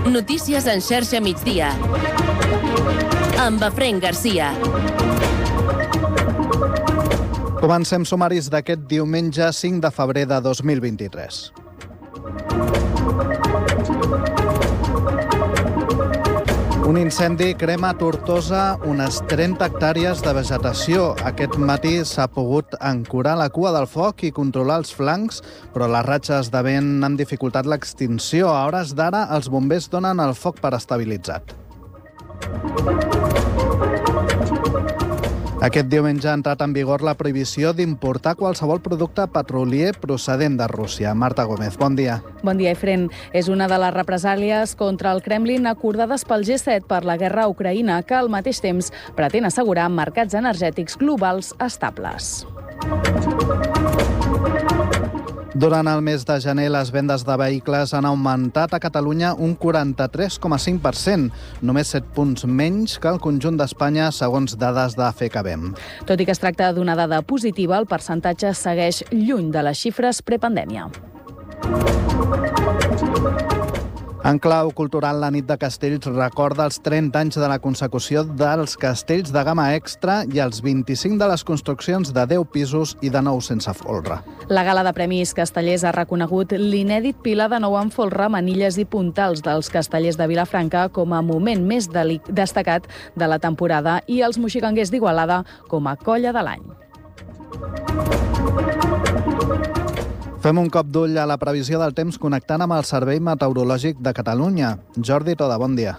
Notícies en xarxa migdia. Amb Efraïm Garcia. Comencem sumaris d'aquest diumenge 5 de febrer de 2023. Un incendi crema a Tortosa unes 30 hectàrees de vegetació. Aquest matí s'ha pogut ancorar la cua del foc i controlar els flancs, però les ratxes de vent han dificultat l'extinció. A hores d'ara, els bombers donen el foc per estabilitzat. Aquest diumenge ha entrat en vigor la prohibició d'importar qualsevol producte petrolier procedent de Rússia. Marta Gómez, bon dia. Bon dia, Efraïm. És una de les represàlies contra el Kremlin acordades pel G7 per la guerra a Ucraïna, que al mateix temps pretén assegurar mercats energètics globals estables. Durant el mes de gener, les vendes de vehicles han augmentat a Catalunya un 43,5%, només 7 punts menys que el conjunt d'Espanya, segons dades de FECABEM. Tot i que es tracta d'una dada positiva, el percentatge segueix lluny de les xifres prepandèmia. En clau cultural, la nit de Castells recorda els 30 anys de la consecució dels castells de gamma extra i els 25 de les construccions de 10 pisos i de 9 sense folre. La gala de Premis Castellers ha reconegut l'inèdit pilar de 9 amb folre, manilles i puntals dels Castellers de Vilafranca com a moment més destacat de la temporada i els moxiganguers d'Igualada com a colla de l'any. Fem un cop d'ull a la previsió del temps connectant amb el Servei Meteorològic de Catalunya. Jordi Toda, bon dia.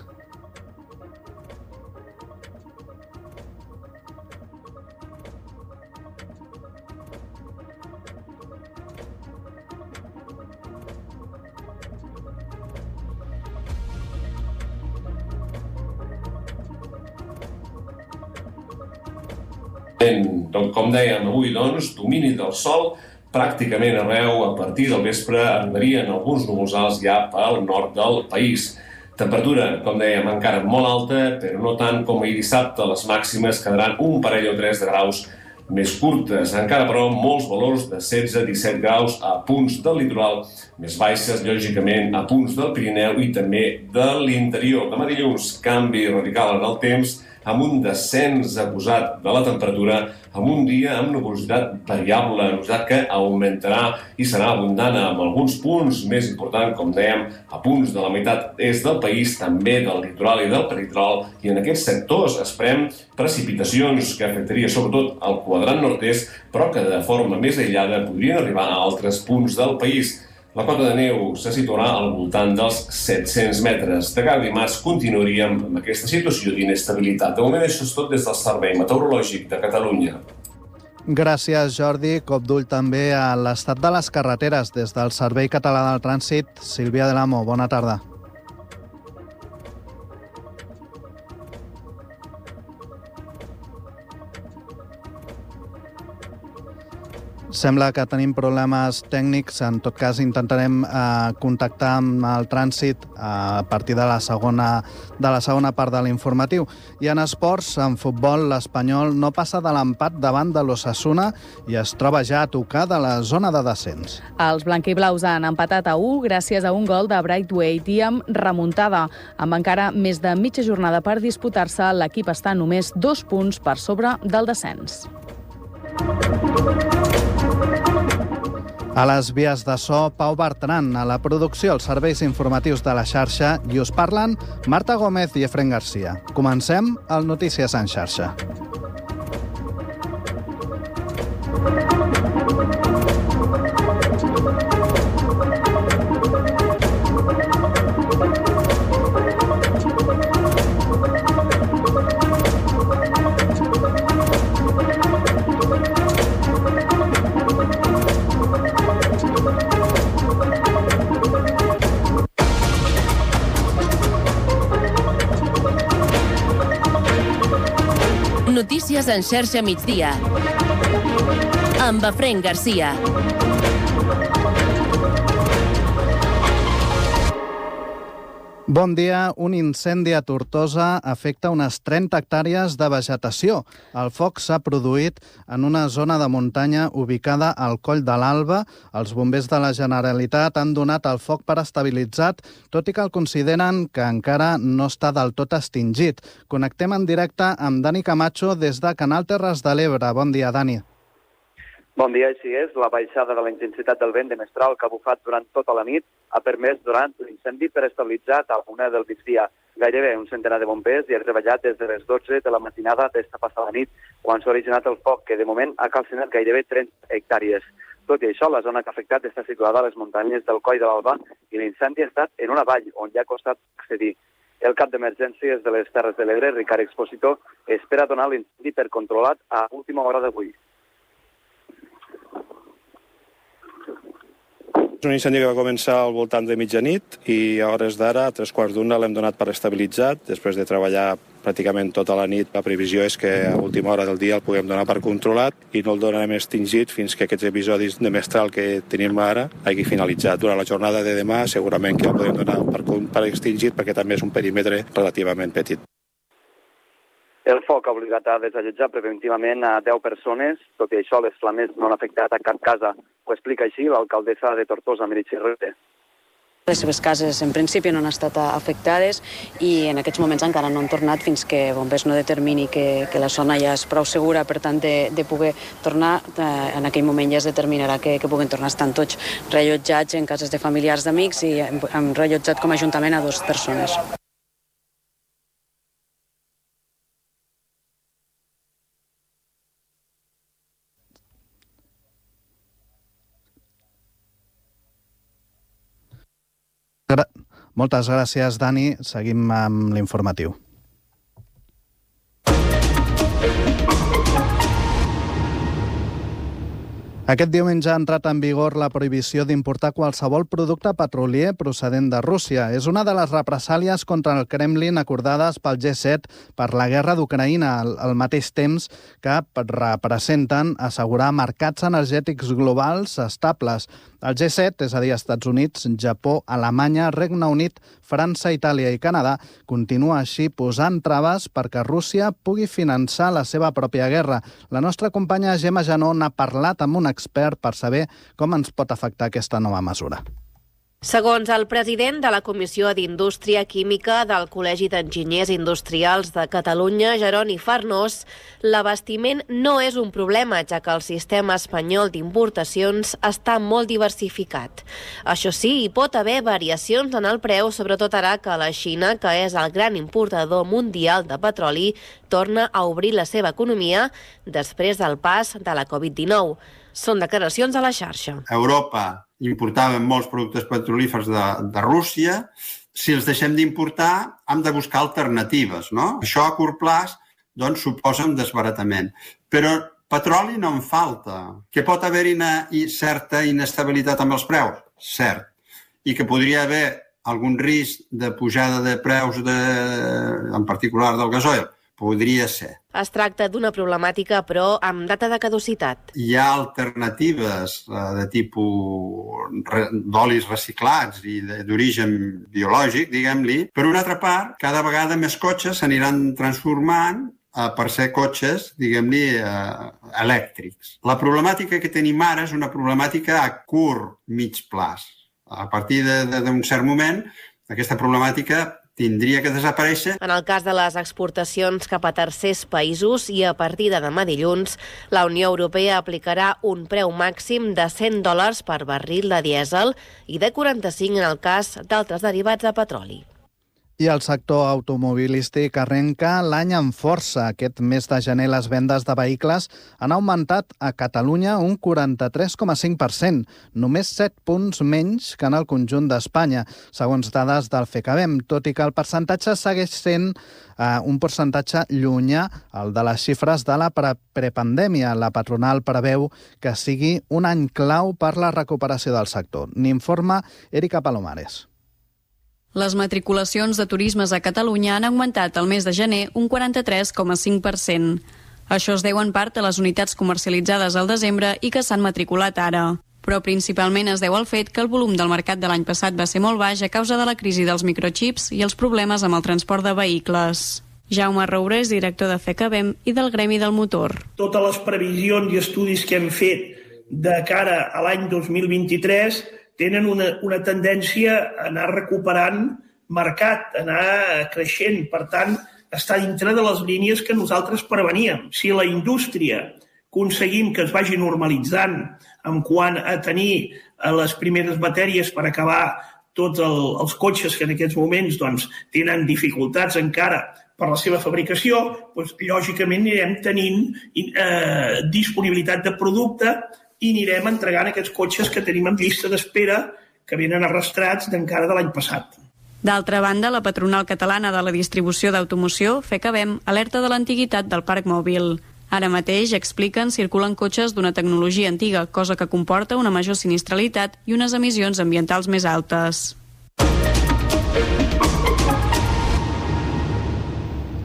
Com dèiem avui, domini del sol pràcticament arreu. A partir del vespre arribarien alguns núvols alts ja pel nord del país. Temperatura, com dèiem, encara molt alta, però no tant com ahir dissabte. Les màximes quedaran un parell o 3 de graus més curtes. Encara, però, molts valors de 16-17 graus a punts del litoral, més baixes, lògicament, a punts del Pirineu i també de l'interior. Demà dilluns, canvi radical en el temps, amb un descens acusat de la temperatura, amb un dia amb nuvolositat variable, nuvolositat que augmentarà i serà abundant amb alguns punts més importants, com dèiem, a punts de la meitat est del país, també del litoral i del peritoral, i en aquests sectors esperem precipitacions que afectaria sobretot el quadrant nord-est, però que de forma més aïllada podrien arribar a altres punts del país. La cota de neu se situarà al voltant dels 700 metres. De cada dimarts continuaríem amb aquesta situació d'inestabilitat. De moment, això és tot des del Servei Meteorològic de Catalunya. Gràcies, Jordi. Cop d'ull també a l'estat de les carreteres des del Servei Català del Trànsit. Sílvia Del Amo, bona tarda. Sembla que tenim problemes tècnics. En tot cas, intentarem contactar amb el trànsit a partir de la segona part de l'informatiu. I en esports, en futbol, l'Espanyol no passa de l'empat davant de l'Osasuna i es troba ja a tocar de la zona de descens. Els blanquiblaus han empatat a 1 gràcies a un gol de Braithwaite i amb remuntada. Amb encara més de mitja jornada per disputar-se, l'equip està només 2 punts per sobre del descens. A les vies de so, Pau Bertran. A la producció, els serveis informatius de la xarxa, i us parlen Marta Gómez i Efraïm Garcia. Comencem el Notícies en xarxa. Notícies en xarxa migdia. Amb Efraïm Garcia. Bon dia. Un incendi a Tortosa afecta unes 30 hectàrees de vegetació. El foc s'ha produït en una zona de muntanya ubicada al Coll de l'Alba. Els bombers de la Generalitat han donat el foc per estabilitzat, tot i que el consideren que encara no està del tot extingit. Connectem en directe amb Dani Camacho des de Canal Terres de l'Ebre. Bon dia, Dani. Bon dia, així és. La baixada de la intensitat del vent de mestral que ha bufat durant tota la nit ha permès durant l'incendi per estabilitzat a la 1 del migdia. Gairebé un centenar de bombers hi ha treballat des de les 12 de la matinada d'esta passada nit, quan s'ha originat el foc, que de moment ha calcinat gairebé 30 hectàrees. Tot i això, la zona que ha afectat està situada a les muntanyes del Coll de l'Alba i l'incendi ha estat en una vall on ja ha costat accedir. El cap d'emergències de les Terres de l'Ebre, Ricard Expositor, espera donar l'incendi per controlat a última hora d'avui. És un incendi que va començar al voltant de mitjanit i a hores d'ara, a 1:15, l'hem donat per estabilitzat. Després de treballar pràcticament tota la nit, la previsió és que a última hora del dia el puguem donar per controlat i no el donarem extingit fins que aquests episodis de mestral que tenim ara hagi finalitzat. Durant la jornada de demà segurament que el podem donar per extingit perquè també és un perímetre relativament petit. El foc ha obligat a desallotjar preventivament a 10 persones. Tot i això, les flames no han afectat a cap casa. Ho explica així l'alcaldessa de Tortosa, Meritxell Rete. Les seves cases, en principi, no han estat afectades i en aquests moments encara no han tornat fins que bombers no determini que la zona ja és prou segura, per tant, de poder tornar. En aquell moment ja es determinarà que puguen tornar. Estan tots reallotjats en cases de familiars d'amics i hem reallotjat com a ajuntament a 2 persones. Moltes gràcies, Dani. Seguim amb l'informatiu. Aquest diumenge ha entrat en vigor la prohibició d'importar qualsevol producte petrolier procedent de Rússia. És una de les represàlies contra el Kremlin acordades pel G7 per la guerra d'Ucraïna, al mateix temps que representen assegurar mercats energètics globals estables. El G7, és a dir, Estats Units, Japó, Alemanya, Regne Unit, França, Itàlia i Canadà, continua així posant traves perquè Rússia pugui finançar la seva pròpia guerra. La nostra companya Gemma Janó n'ha parlat amb un expert per saber com ens pot afectar aquesta nova mesura. Segons el president de la Comissió d'Indústria Química del Col·legi d'Enginyers Industrials de Catalunya, Jeroni Farnós, l'abastiment no és un problema, ja que el sistema espanyol d'importacions està molt diversificat. Això sí, hi pot haver variacions en el preu, sobretot ara que la Xina, que és el gran importador mundial de petroli, torna a obrir la seva economia després del pas de la Covid-19. Són declaracions a la xarxa. Europa importàvem molts productes petrolífers de Rússia. Si els deixem d'importar, hem de buscar alternatives, no? Això a curt plaç doncs, suposa un desbaratament. Però petroli no en falta. Que pot haver-hi certa inestabilitat amb els preus? Cert. I que podria haver algun risc de pujada de preus, en particular del gasoil? Podria ser. Es tracta d'una problemàtica, però amb data de caducitat. Hi ha alternatives de tipus d'olis reciclats i d'origen biològic, diguem-li. Per una altra part, cada vegada més cotxes s'aniran transformant per ser cotxes, diguem-li, elèctrics. La problemàtica que tenim ara és una problemàtica a curt, mig plaç. A partir d'un cert moment, aquesta problemàtica tindria que desaparèixer. En el cas de les exportacions cap a tercers països i a partir de demà dilluns, la Unió Europea aplicarà un preu màxim de $100 per barril de dièsel i de 45 en el cas d'altres derivats de petroli. I el sector automobilístic arrenca l'any amb força. Aquest mes de gener les vendes de vehicles han augmentat a Catalunya un 43,5%, només 7 punts menys que en el conjunt d'Espanya, segons dades del FECABEM, tot i que el percentatge segueix sent un percentatge llunyà al de les xifres de la prepandèmia. La patronal preveu que sigui un any clau per la recuperació del sector. N'informa Erika Palomares. Les matriculacions de turismes a Catalunya han augmentat el mes de gener un 43,5%. Això es deu en part a les unitats comercialitzades al desembre i que s'han matriculat ara. però principalment es deu al fet que el volum del mercat de l'any passat va ser molt baix a causa de la crisi dels microchips i els problemes amb el transport de vehicles. Jaume Roures, director de FECABEM i del Gremi del Motor. Totes les previsions i estudis que hem fet de cara a l'any 2023 tenen una tendència a anar recuperant mercat, a anar creixent. Per tant, està dintre de les línies que nosaltres preveníem. Si la indústria aconseguim que es vagi normalitzant en quant a tenir les primeres matèries per acabar tots els cotxes que en aquests moments tenen dificultats encara per la seva fabricació, lògicament anirem tenint disponibilitat de producte i anirem entregant aquests cotxes que tenim en llista d'espera que venen arrastrats d'encara de l'any passat. D'altra banda, la patronal catalana de la distribució d'automoció, FECABEM, alerta de l'antiguitat del parc mòbil. Ara mateix, expliquen, circulen cotxes d'una tecnologia antiga, cosa que comporta una major sinistralitat i unes emissions ambientals més altes.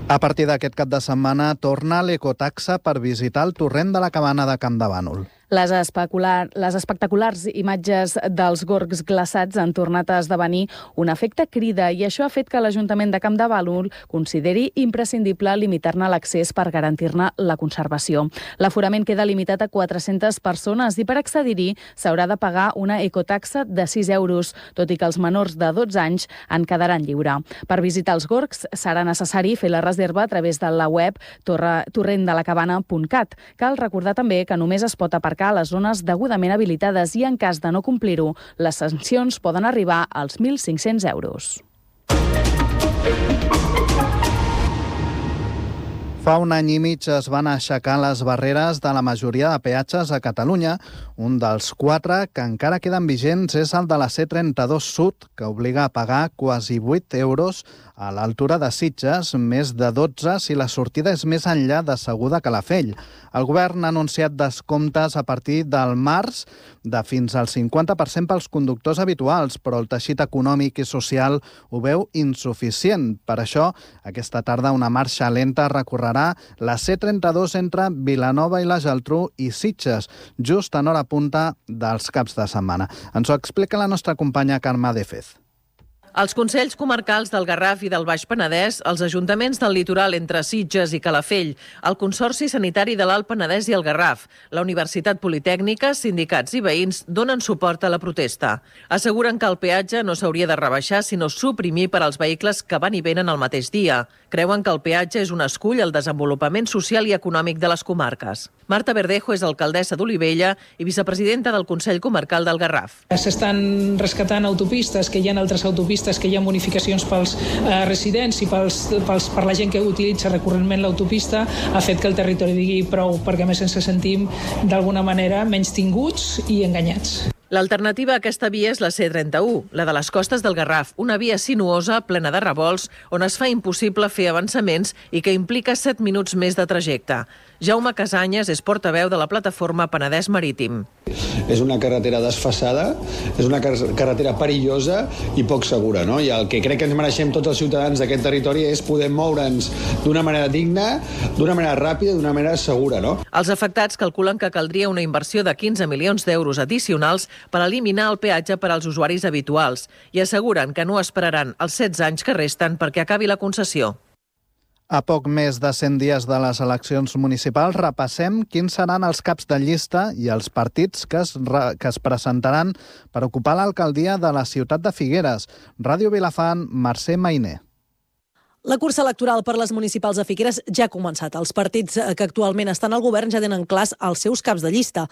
A partir d'aquest cap de setmana torna l'ecotaxa per visitar el torrent de la Cabana de Campdevànol. Les espectaculars imatges dels gorgs glaçats han tornat a esdevenir un efecte crida i això ha fet que l'Ajuntament de Campdevànol consideri imprescindible limitar-ne l'accés per garantir-ne la conservació. L'aforament queda limitat a 400 persones i per accedir-hi s'haurà de pagar una ecotaxa de 6 euros, tot i que els menors de 12 anys en quedaran lliure. Per visitar els gorgs serà necessari fer la reserva a través de la web torrendelacabana.cat. Cal recordar també que només es pot aparcar a les zones degudament habilitades i en cas de no complir-ho, les sancions poden arribar als 1.500 euros. Fa un any i mig es van aixecar les barreres de la majoria de peatges a Catalunya. Un dels 4 que encara queden vigents és el de la C32 Sud, que obliga a pagar quasi 8 euros a l'altura de Sitges, més de 12 si la sortida és més enllà de Segur de Calafell. El govern ha anunciat descomptes a partir del març de fins al 50% pels conductors habituals, però el teixit econòmic i social ho veu insuficient. Per això, aquesta tarda una marxa lenta recorrerà la C32 entre Vilanova i la Geltrú i Sitges, just en hora punta dels caps de setmana. Ens ho explica la nostra companya Carme Defez. Els Consells Comarcals del Garraf i del Baix Penedès, els ajuntaments del litoral entre Sitges i Calafell, el Consorci Sanitari de l'Alt Penedès i el Garraf, la Universitat Politècnica, sindicats i veïns donen suport a la protesta. Asseguren que el peatge no s'hauria de rebaixar sinó suprimir per als vehicles que van i venen el mateix dia. Creuen que el peatge és un escull al desenvolupament social i econòmic de les comarques. Marta Verdejo és alcaldessa d'Olivella i vicepresidenta del Consell Comarcal del Garraf. S'estan rescatant autopistes, que hi ha altres autopistes, que hi ha bonificacions pels residents i per la gent que utilitza recurrentment l'autopista, ha fet que el territori digui prou, perquè a més ens sentim d'alguna manera menystinguts i enganyats. L'alternativa a aquesta via és la C31, la de les costes del Garraf, una via sinuosa, plena de revolts, on es fa impossible fer avançaments i que implica 7 minuts més de trajecte. Jaume Casanyes és portaveu de la plataforma Penedès Marítim. És una carretera desfasada, és una carretera perillosa i poc segura, no? I el que crec que ens mereixem tots els ciutadans d'aquest territori és poder moure'ns d'una manera digna, d'una manera ràpida, d'una manera segura, no? Els afectats calculen que caldria una inversió de 15 milions d'euros addicionals per eliminar el peatge per als usuaris habituals i asseguren que no esperaran els 16 anys que resten perquè acabi la concessió. A poc més de 100 dies de les eleccions municipals repassem quins seran els caps de llista i els partits que es presentaran per ocupar l'alcaldia de la ciutat de Figueres. Ràdio Vilafant, Mercè Mainer. La cursa electoral per les municipals de Figueres ja ha començat. Els partits que actualment estan al govern ja tenen clars els seus caps de llista.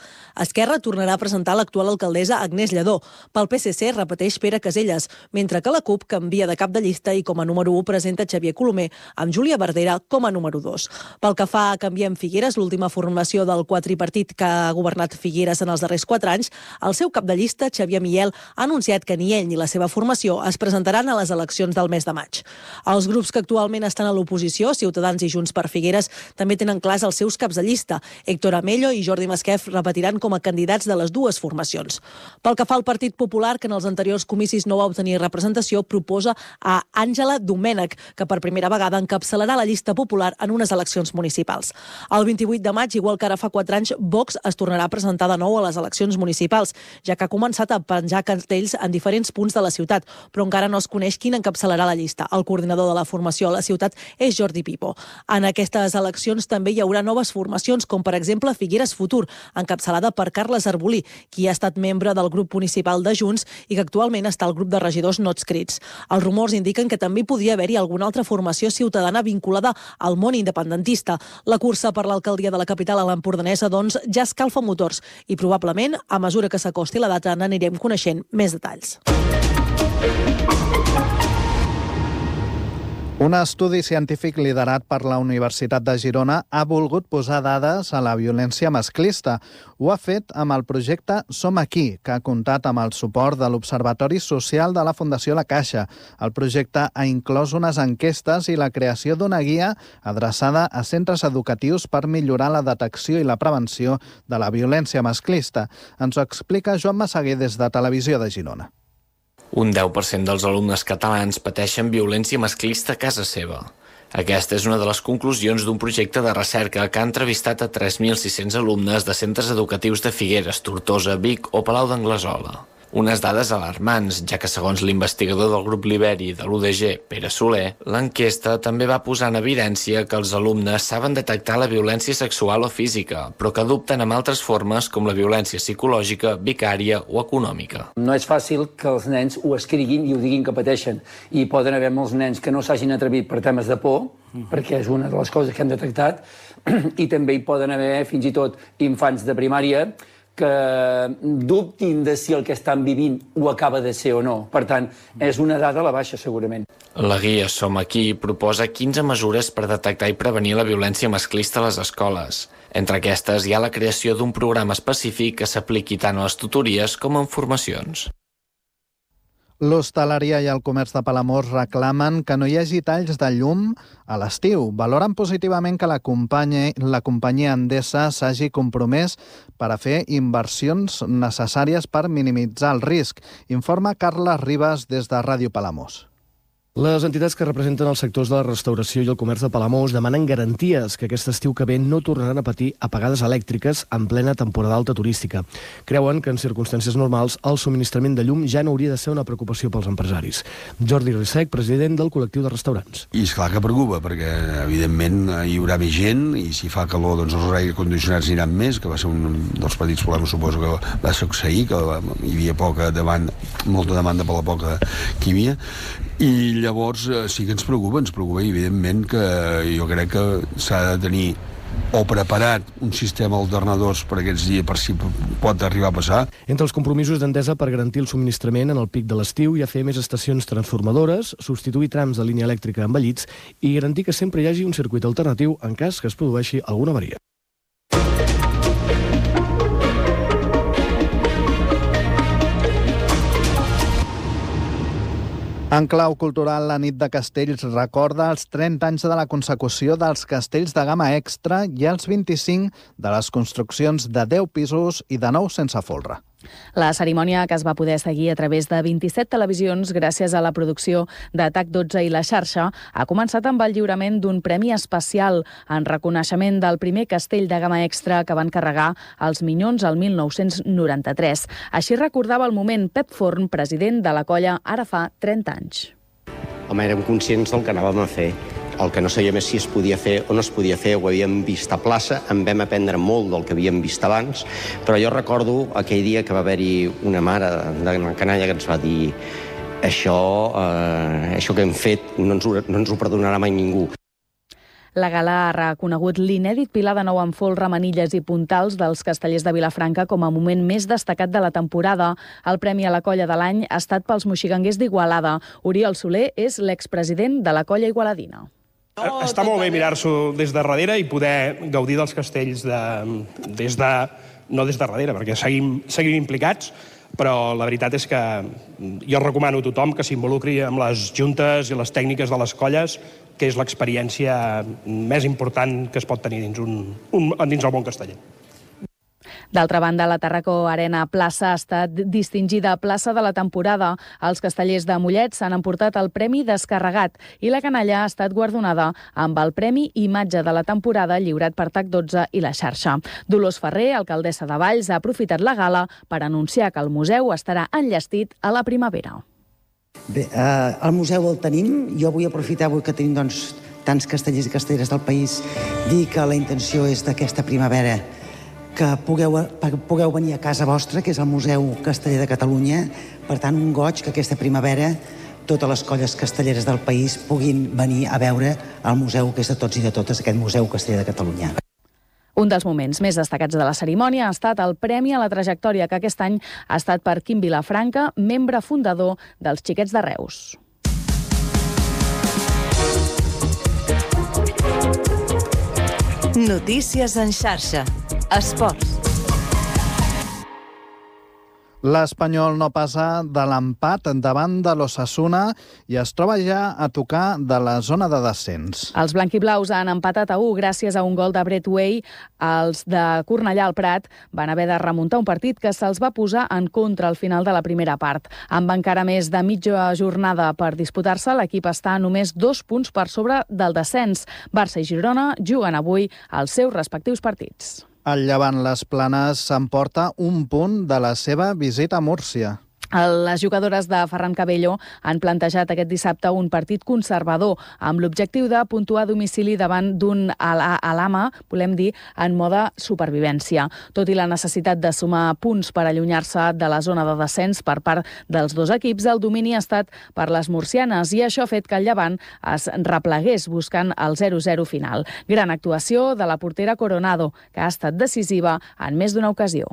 Esquerra tornarà a presentar l'actual alcaldessa Agnès Lledó. Pel PSC repeteix Pere Caselles, mentre que la CUP canvia de cap de llista i com a número 1 presenta Xavier Colomer, amb Júlia Verdera com a número 2. Pel que fa a Canviem Figueres, l'última formació del quadripartit que ha governat Figueres en els darrers 4 anys, el seu cap de llista, Xavier Miel, ha anunciat que ni ell ni la seva formació es presentaran a les eleccions del mes de maig. Els grups que que actualment estan a l'oposició, Ciutadans i Junts per Figueres, també tenen clars els seus caps de llista. Héctor Amello i Jordi Masquef repetiran com a candidats de les dues formacions. Pel que fa al Partit Popular, que en els anteriors comicis no va obtenir representació, proposa a Àngela Domènech, que per primera vegada encapçalarà la llista popular en unes eleccions municipals. El 28 de maig, igual que ara fa 4 anys, Vox es tornarà a presentar de nou a les eleccions municipals, ja que ha començat a penjar cartells en diferents punts de la ciutat, però encara no es coneix quin encapçalarà la llista. El coordinador de la formació a la ciutat és Jordi Pipo. En aquestes eleccions també hi haurà noves formacions, com per exemple Figueres Futur, encapçalada per Carles Arbolí, qui ha estat membre del grup municipal de Junts i que actualment està al grup de regidors no adscrits. Els rumors indiquen que també podria haver-hi alguna altra formació ciutadana vinculada al món independentista. La cursa per l'alcaldia de la capital a l'Empordanesa, doncs, ja escalfa motors i probablement, a mesura que s'acosti la data, n'anirem coneixent més detalls. Un estudi científic liderat per la Universitat de Girona ha volgut posar dades a la violència masclista. Ho ha fet amb el projecte Som Aquí, que ha comptat amb el suport de l'Observatori Social de la Fundació La Caixa. El projecte ha inclòs unes enquestes i la creació d'una guia adreçada a centres educatius per millorar la detecció i la prevenció de la violència masclista. Ens ho explica Joan Massaguer des de Televisió de Girona. Un 10% dels alumnes catalans pateixen violència masclista a casa seva. Aquesta és una de les conclusions d'un projecte de recerca que ha entrevistat a 3.600 alumnes de centres educatius de Figueres, Tortosa, Vic o Palau d'Anglesola. Unes dades alarmants, ja que segons l'investigador del grup Liberi de l'UDG, Pere Soler, l'enquesta també va posar en evidència que els alumnes saben detectar la violència sexual o física, però que dubten amb altres formes com la violència psicològica, vicària o econòmica. No és fàcil que els nens ho escriguin i ho diguin que pateixen. I poden haver molts nens que no s'hagin atrevit per temes de por, perquè és una de les coses que hem detectat, i també hi poden haver fins i tot infants de primària que dubtin de si el que estan vivint ho acaba de ser o no. Per tant, és una dada a la baixa, segurament. La guia Som Aquí proposa 15 mesures per detectar i prevenir la violència masclista a les escoles. Entre aquestes hi ha la creació d'un programa específic que s'apliqui tant a les tutories com en formacions. L'hostaleria i el comerç de Palamós reclamen que no hi hagi talls de llum a l'estiu. Valoren positivament que la companyia Endesa s'hagi compromès per a fer inversions necessàries per minimitzar el risc. Informa Carles Ribas des de Ràdio Palamós. Les entitats que representen els sectors de la restauració i el comerç de Palamós demanen garanties que aquest estiu que ve no tornaran a patir apagades elèctriques en plena temporada alta turística. Creuen que en circumstàncies normals el subministrament de llum ja no hauria de ser una preocupació pels empresaris. Jordi Rissec, president del col·lectiu de restaurants. I és clar que preocupa, perquè evidentment hi haurà més gent i si fa calor doncs els aire condicionats aniran més, que va ser un dels petits problemes, suposo que va succeir, que hi havia molta demanda per la poca que hi havia. I llavors sí que ens preocupa i evidentment que jo crec que s'ha de tenir o preparat un sistema alternadors per aquests dies per si pot arribar a passar. Entre els compromisos d'Endesa per garantir el subministrament en el pic de l'estiu hi ha fer més estacions transformadores, substituir trams de línia elèctrica envellits i garantir que sempre hi hagi un circuit alternatiu en cas que es produeixi alguna avaria. En clau cultural, la nit de Castells recorda els 30 anys de la consecució dels castells de gamma extra i els 25 de les construccions de 10 pisos i de 9 sense folre. La cerimònia, que es va poder seguir a través de 27 televisions gràcies a la producció d'Atac 12 i la xarxa, ha començat amb el lliurament d'un premi especial en reconeixement del primer castell de gamma extra que van carregar els Minyons el 1993. Així recordava el moment Pep Forn, president de la colla ara fa 30 anys. Home, érem conscients del que anàvem a fer. El que no sabíem és si es podia fer o no es podia fer. Ho havíem vist a plaça, en vam aprendre molt del que havíem vist abans, però jo recordo aquell dia que va haver-hi una mare de canalla que ens va dir això que hem fet no ens ho perdonarà mai ningú. La gala ha reconegut l'inèdit pilar de nou en folre, manilles i puntals dels castellers de Vilafranca com a moment més destacat de la temporada. El premi a la colla de l'any ha estat pels moxiganguers d'Igualada. Oriol Soler és l'expresident de la colla igualadina. Està molt bé mirar-s'ho des de darrere i poder gaudir dels castells no des de darrere, perquè seguim implicats, però la veritat és que jo recomano a tothom que s'involucri amb les juntes i les tècniques de les colles, que és l'experiència més important que es pot tenir dins el món casteller. D'altra banda, la Tàrraco Arena Plaça ha estat distingida plaça de la temporada. Els castellers de Mollet s'han emportat el Premi Descarregat i la canalla ha estat guardonada amb el Premi Imatge de la temporada lliurat per TAC12 i la xarxa. Dolors Ferrer, alcaldessa de Valls, ha aprofitat la gala per anunciar que el museu estarà enllestit a la primavera. Bé, el museu el tenim. Jo vull aprofitar avui que tenim tants castellers i castelleres del país, dir que la intenció és d'aquesta primavera que pugueu venir a casa vostra, que és el Museu Casteller de Catalunya. Per tant, un goig que aquesta primavera totes les colles castelleres del país puguin venir a veure el museu, que és de tots i de totes, aquest Museu Casteller de Catalunya. Un dels moments més destacats de la cerimònia ha estat el Premi a la Trajectòria, que aquest any ha estat per Quim Vilafranca, membre fundador dels Xiquets de Reus. Notícies en xarxa. Esports. L'Espanyol no passa de l'empat davant de l'Osasuna i es troba ja a tocar de la zona de descens. Els blanquiblaus han empatat a 1 gràcies a un gol de Brett Way. Els de Cornellà al Prat van haver de remuntar un partit que se'ls va posar en contra al final de la primera part. Amb encara més de mitja jornada per disputar-se, l'equip està només 2 punts per sobre del descens. Barça i Girona juguen avui els seus respectius partits. El Llevant Les Planes s'emporta 1 punt de la seva visita a Múrcia. Les jugadores de Ferran Cabello han plantejat aquest dissabte un partit conservador amb l'objectiu de puntuar a domicili davant d'un Alhama, volem dir, en mode supervivència. Tot i la necessitat de sumar punts per allunyar-se de la zona de descens per part dels dos equips, el domini ha estat per les murcianes i això ha fet que el Llevant es replegués buscant el 0-0 final. Gran actuació de la portera Coronado, que ha estat decisiva en més d'una ocasió.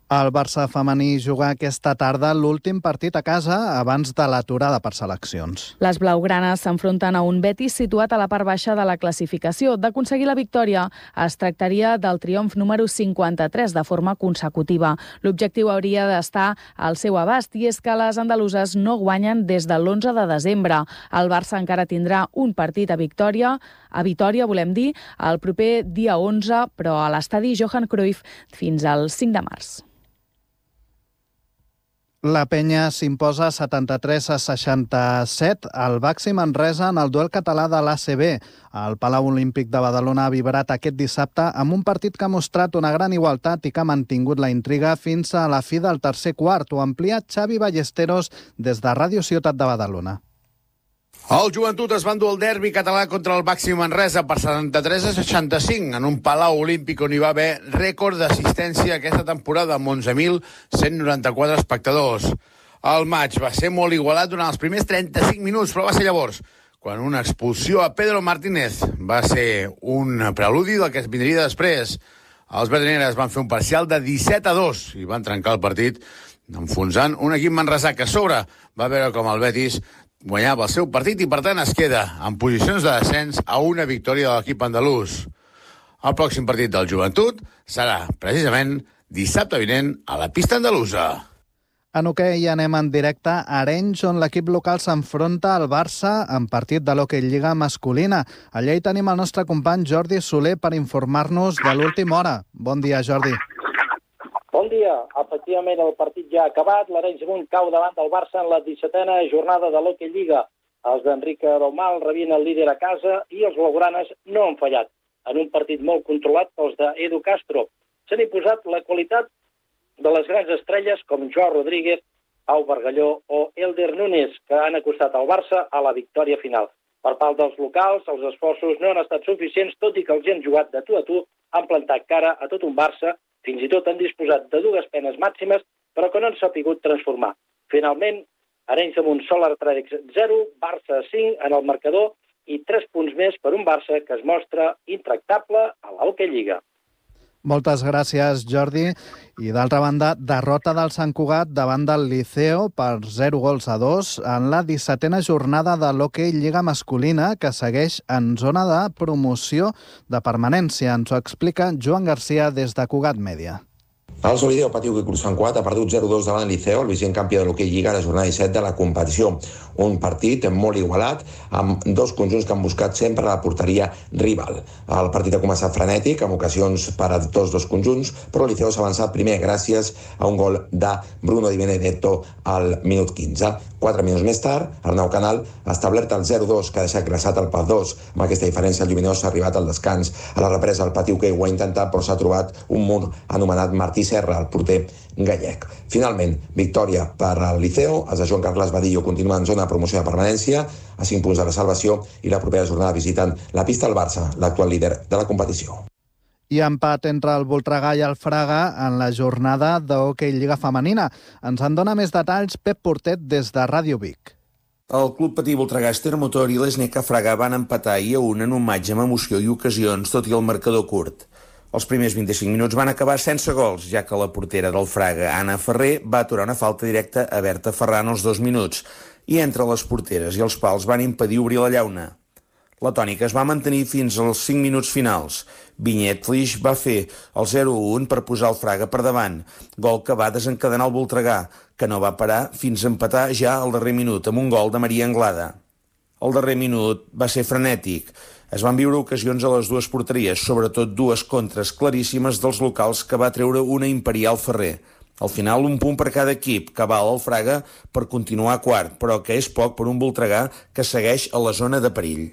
El Barça femení juga aquesta tarda l'últim partit a casa abans de l'aturada per seleccions. Les blaugranes s'enfronten a un Betis situat a la part baixa de la classificació. D'aconseguir la victòria es tractaria del triomf número 53 de forma consecutiva. L'objectiu hauria d'estar al seu abast i és que les andaluses no guanyen des de l'11 de desembre. El Barça encara tindrà un partit a Vitoria, volem dir, el proper dia 11, però a l'estadi Johan Cruyff fins al 5 de març. La Penya s'imposa 73-67 al Baxi Manresa en el duel català de l'ACB. El Palau Olímpic de Badalona ha vibrat aquest dissabte amb un partit que ha mostrat una gran igualtat i que ha mantingut la intriga fins a la fi del tercer quart. Ho amplia Xavi Ballesteros des de Ràdio Ciutat de Badalona. El Joventut es va endur el derbi català contra el Baxi Manresa per 73-65 en un Palau Olímpic on hi va haver rècord d'assistència aquesta temporada amb 11.194 espectadors. El maig va ser molt igualat durant els primers 35 minuts, però va ser llavors quan una expulsió a Pedro Martínez va ser un preludi del que es vindria després. Els verdineres van fer un parcial de 17-2 i van trencar el partit enfonsant un equip manresà que a sobre va veure com el Betis guanyava el seu partit i, per tant, es queda en posicions de descens a una victòria de l'equip andalús. El pròxim partit del Joventut serà, precisament, dissabte vinent a la pista andalusa. En hoquei anem en directe a Arenys, on l'equip local s'enfronta al Barça en partit de l'Hockey Lliga masculina. Allà hi tenim el nostre company Jordi Soler per informar-nos de l'última hora. Bon dia, Jordi. Bon dia. Efectivament, el partit ja ha acabat. L'Arenys Munt cau davant del Barça en la 17a jornada de l'Hockey Lliga. Els d'Enrique Daumal rebien el líder a casa i els blaugranes no han fallat. En un partit molt controlat pels d'Edu Castro. S'han imposat la qualitat de les grans estrelles com Joao Rodríguez, Pau Bargalló o Elder Núñez, que han acostat al Barça a la victòria final. Per part dels locals, els esforços no han estat suficients, tot i que els han jugat de tu a tu, han plantat cara a tot un Barça, fins i tot han disposat de 2 penes màximes, però que no han sapigut transformar. Finalment, Arenys de Munt Solar Athletics 0, Barça 5 en el marcador i 3 punts més per un Barça que es mostra intractable a l'Hockey Lliga. Moltes gràcies, Jordi. I d'altra banda, derrota del Sant Cugat davant del Liceo per 0-2 en la 17a jornada de l'Hockey Lliga masculina, que segueix en zona de promoció de permanència. Ens ho explica Joan Garcia des de Cugat Mèdia. El Solideo Patiu que Cruz Sant Cuat ha perdut 0-2 davant el Liceo, el vigent campió de l'hoquei Lliga a la jornada 17 de la competició. Un partit molt igualat, amb dos conjunts que han buscat sempre la porteria rival. El partit ha començat frenètic, amb ocasions per a tots dos conjunts, però el Liceo s'ha avançat primer gràcies a un gol de Bruno Di Benedetto al minut 15. 4 minuts més tard, Arnau Canal ha establert el 0-2, que ha deixat glaçat el PAF 2. Amb aquesta diferència, el Lluminós s'ha arribat al descans. A la represa, el Patiu que ho ha intentat, però s'ha trobat un mur anomenat Martí Serra, el porter gallec. Finalment, victòria per al Liceo. Els de Joan Carles Badillo continuen en zona de promoció de permanència, a 5 punts de la salvació, i la propera jornada visiten la pista del Barça, l'actual líder de la competició. I empat entre el Voltregà i el Fraga en la jornada d'hoquei Lliga Femenina. Ens en dona més detalls Pep Portet des de Ràdio Vic. El Club Patí Voltregà Ester Motor i l'Esneca Fraga van empatar i a 1 en un matx amb emoció i ocasions, tot i el marcador curt. Els primers 25 minuts van acabar sense gols, ja que la portera del Fraga, Anna Ferrer, va aturar una falta directa a Berta Ferran als 2 minuts, i entre les porteres i els pals van impedir obrir la llauna. La tònica es va mantenir fins als 5 minuts finals. Vinyet Flix va fer el 0-1 per posar el Fraga per davant, gol que va desencadenar el Voltregà, que no va parar fins a empatar ja al darrer minut amb un gol de Maria Anglada. El darrer minut va ser frenètic. Es van viure ocasions a les dues porteries, sobretot dues contres claríssimes dels locals que va treure una Imperial Ferrer. Al final, un punt per cada equip, que val el Fraga per continuar quart, però que és poc per un Voltregà que segueix a la zona de perill.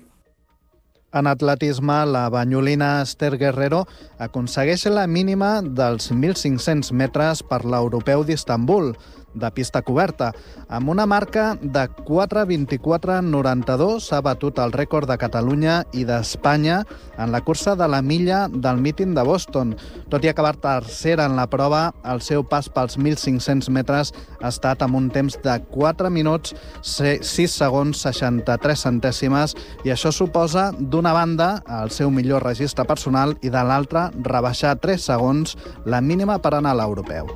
En atletisme, la banyolina Esther Guerrero aconsegueix la mínima dels 1.500 metres per l'Europeu d'Istanbul, de pista coberta. Amb una marca de 4:24:92 s'ha batut el rècord de Catalunya i d'Espanya en la cursa de la milla del míting de Boston. Tot i acabar tercera en la prova, el seu pas pels 1.500 metres ha estat amb un temps de 4 minuts, 6 segons, 63 centèsimes, i això suposa, d'una banda, el seu millor registre personal i de l'altra, rebaixar 3 segons la mínima per anar a l'europeu.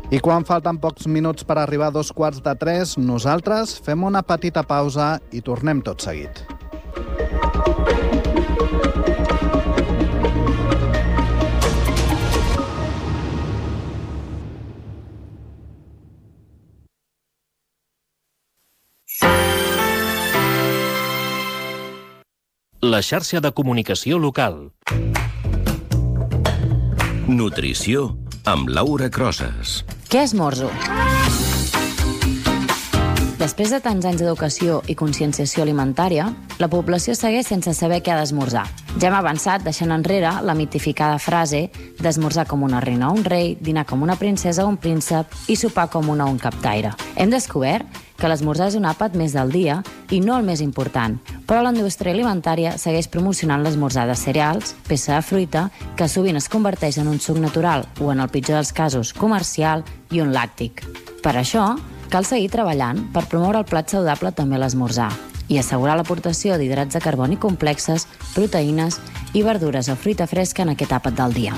I quan falten pocs minuts per arribar a 2:45, nosaltres fem una petita pausa i tornem tot seguit. La xarxa de comunicació local. Nutrició amb Laura Crosas. Què esmorzo? Després de tants anys d'educació i conscienciació alimentària, la població segueix sense saber què ha d'esmorzar. Ja hem avançat deixant enrere la mitificada frase d'esmorzar com una reina o un rei, dinar com una princesa o un príncep i sopar com una o un captaire. Hem descobert que l'esmorzar és un àpat més del dia i no el més important, però la indústria alimentària segueix promocionant l'esmorzar de cereals, peça de fruita, que sovint es converteix en un suc natural o, en el pitjor dels casos, comercial i un làctic. Per això, cal seguir treballant per promoure el plat saludable també a l'esmorzar i assegurar l'aportació d'hidrats de carboni complexes, proteïnes i verdures o fruita fresca en aquest àpat del dia.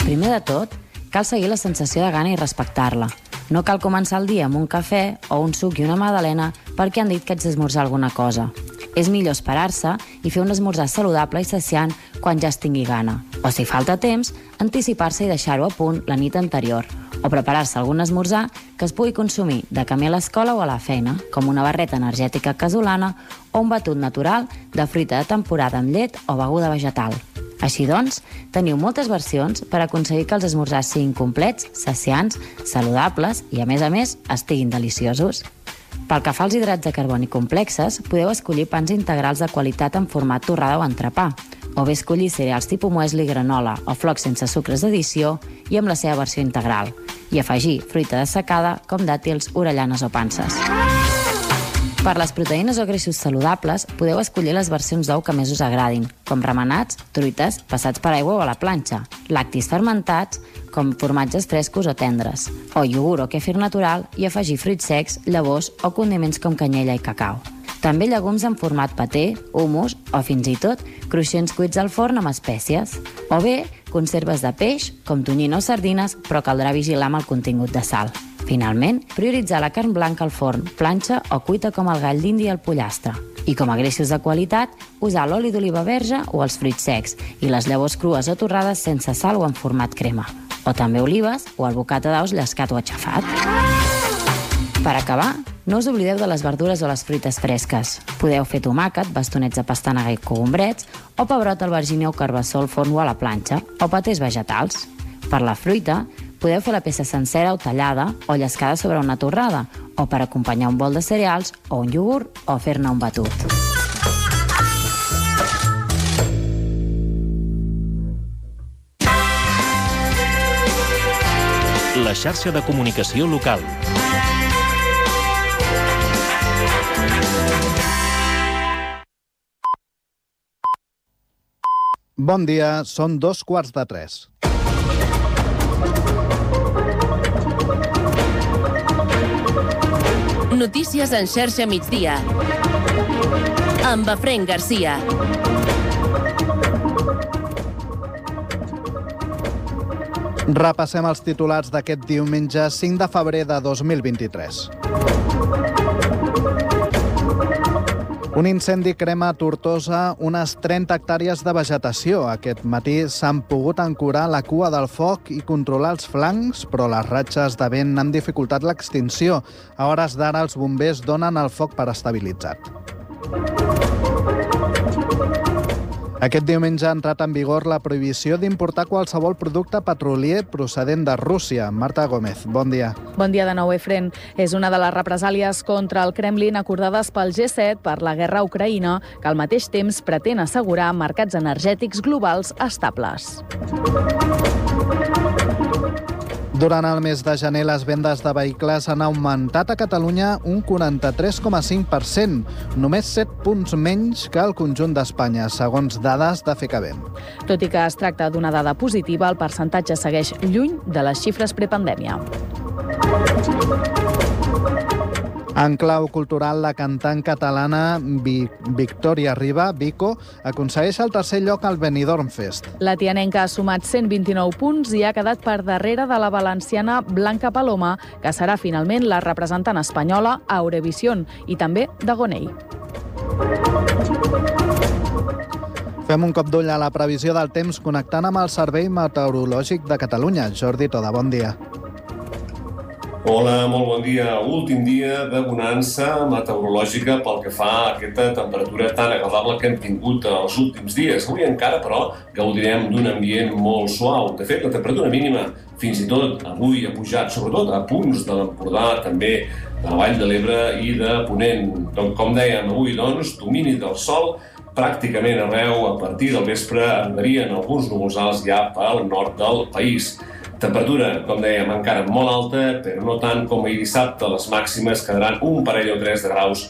Primer de tot, cal seguir la sensació de gana i respectar-la. No cal començar el dia amb un cafè o un suc i una magdalena perquè han dit que haig d'esmorzar alguna cosa. És millor esperar-se i fer un esmorzar saludable i saciant quan ja es tingui gana. O, si falta temps, anticipar-se i deixar-ho a punt la nit anterior. O preparar-se algun esmorzar que es pugui consumir de camí a l'escola o a la feina, com una barreta energètica casolana o un batut natural de fruita de temporada amb llet o beguda vegetal. Així doncs, teniu moltes versions per aconseguir que els esmorzars siguin complets, saciants, saludables i, a més, estiguin deliciosos. Pel que fa als hidrats de carboni complexes, podeu escollir pans integrals de qualitat en format torrada o entrepà, o bé escollir cereals tipus muesli, granola o flocs sense sucres d'addició i amb la seva versió integral, i afegir fruita dessecada com dàtils, orellanes o panses. Per les proteïnes o greixos saludables, podeu escollir les versions d'ou que més us agradin, com remenats, truites, passats per aigua o a la planxa, lactis fermentats, com formatges frescos o tendres, o iogurt o kefir natural i afegir fruits secs, llavors o condiments com canyella i cacau. També llegums en format paté, hummus o fins i tot cruixents cuits al forn amb espècies. O bé, conserves de peix, com tonyina o sardines, però caldrà vigilar amb el contingut de sal. Finalment, prioritzar la carn blanca al forn, planxa o cuita com el gall d'indi i el pollastre. I com a greixos de qualitat, usar l'oli d'oliva verge o els fruits secs i les llavors crues o torrades sense sal o en format crema. O també olives o el bocata d'aus llescat o aixafat. Per acabar, no us oblideu de les verdures o les fruites fresques. Podeu fer tomàquet, bastonets de pastanaga i cogombrets, o pebrot, albergínia o carbassó al forn o a la planxa, o patés vegetals. Per la fruita, podeu fer la peça sencera o tallada o llescada sobre una torrada, o per acompanyar un bol de cereals o un iogurt o fer-ne un batut. La xarxa de comunicació local. Bon dia, són 2:15. Notícies en xarxa migdia. Amb Efraín Garcia. Repassem els titulars d'aquest diumenge 5 de febrer de 2023. Un incendi crema a Tortosa unes 30 hectàrees de vegetació. Aquest matí s'han pogut ancorar la cua del foc i controlar els flancs, però les ratxes de vent han dificultat l'extinció. A hores d'ara els bombers donen el foc per estabilitzat. Aquest diumenge ha entrat en vigor la prohibició d'importar qualsevol producte petrolier procedent de Rússia. Marta Gómez, bon dia. Bon dia de nou, Efren. És una de les represàlies contra el Kremlin acordades pel G7 per la guerra a Ucraïna, que al mateix temps pretén assegurar mercats energètics globals estables. Durant el mes de gener, les vendes de vehicles han augmentat a Catalunya un 43,5%, només 7 punts menys que el conjunt d'Espanya, segons dades de FECABEM. Tot i que es tracta d'una dada positiva, el percentatge segueix lluny de les xifres prepandèmia. En clau cultural, la cantant catalana Victòria Riba, Vico, aconsegueix el tercer lloc al Benidorm Fest. La tianenca ha sumat 129 punts i ha quedat per darrere de la valenciana Blanca Paloma, que serà finalment la representant espanyola a Eurovisión, i també de Gonei. Fem un cop d'ull a la previsió del temps connectant amb el Servei Meteorològic de Catalunya. Jordi Toda, bon dia. Hola, molt bon dia. Últim dia de bonança meteorològica pel que fa a aquesta temperatura tan agradable que hem tingut els últims dies. Avui encara, però, gaudirem d'un ambient molt suau. De fet, la temperatura mínima, fins i tot avui ha pujat, sobretot a punts de l'Empordà, també de la Vall de l'Ebre i de Ponent. Com dèiem, avui, doncs, domini del sol pràcticament arreu. A partir del vespre arribarien alguns núvols alts ja pel nord del país. Temperatura, com dèiem, encara molt alta, però no tant com ahir dissabte. Les màximes quedaran un parell o tres de graus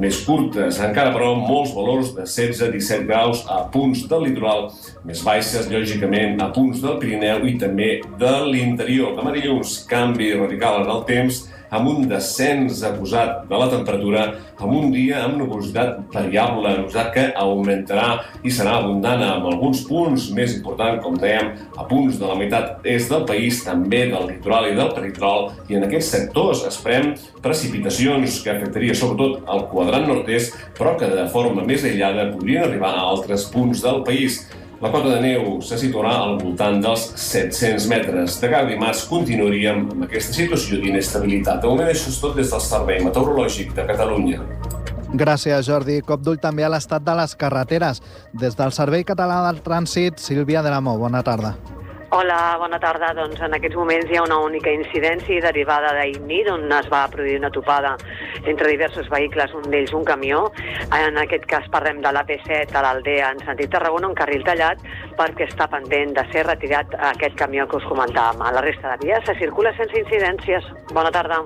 més curtes. Encara, però, molts valors de 16-17 graus a punts del litoral, més baixes, lògicament, a punts del Pirineu i també de l'interior. Demà dilluns, canvi radical en el temps, amb un descens acusat de la temperatura, amb un dia amb nuvolositat variable, nuvolositat que augmentarà i serà abundant amb alguns punts més importants, com dèiem, a punts de la meitat est del país, també del litoral i del peritoral, i en aquests sectors esperem precipitacions que afectaria sobretot el quadrant nord-est, però que de forma més aïllada podrien arribar a altres punts del país. La cota de neu se situarà al voltant dels 700 metres. De cada dimarts continuaríem amb aquesta situació d'inestabilitat. De moment, això és tot des del Servei Meteorològic de Catalunya. Gràcies, Jordi. Cop d'ull també a l'estat de les carreteres. Des del Servei Català del Trànsit, Sílvia de la Mó, bona tarda. Hola, bona tarda. Doncs en aquests moments hi ha una única incidència derivada d'Ignit, on es va produir una topada entre diversos vehicles, un d'ells un camió. En aquest cas parlem de l'AP7 a l'Aldea en sentit Tarragona, un carril tallat perquè està pendent de ser retirat aquest camió que us comentàvem. A la resta de vies se circula sense incidències. Bona tarda.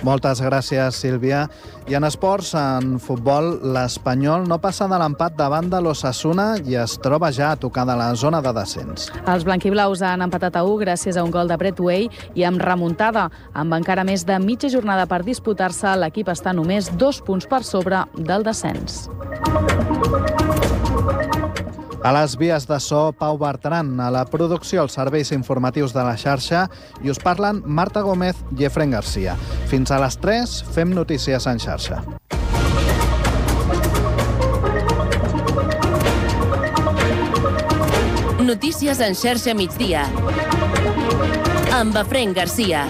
Moltes gràcies, Sílvia. I en esports, en futbol, l'Espanyol no passa de l'empat davant de l'Osasuna i es troba ja a tocar de la zona de descens. Els blanquiblaus han empatat a 1 gràcies a un gol de Brett Way i amb remuntada. Amb encara més de mitja jornada per disputar-se, l'equip està només 2 punts per sobre del descens. A les vies de so, Pau Bertran, a la producció, els serveis informatius de la xarxa, i us parlen Marta Gómez i Efraín Garcia. Fins a les 3 fem notícies en xarxa. Notícies en xarxa migdia. Amb Efraín Garcia.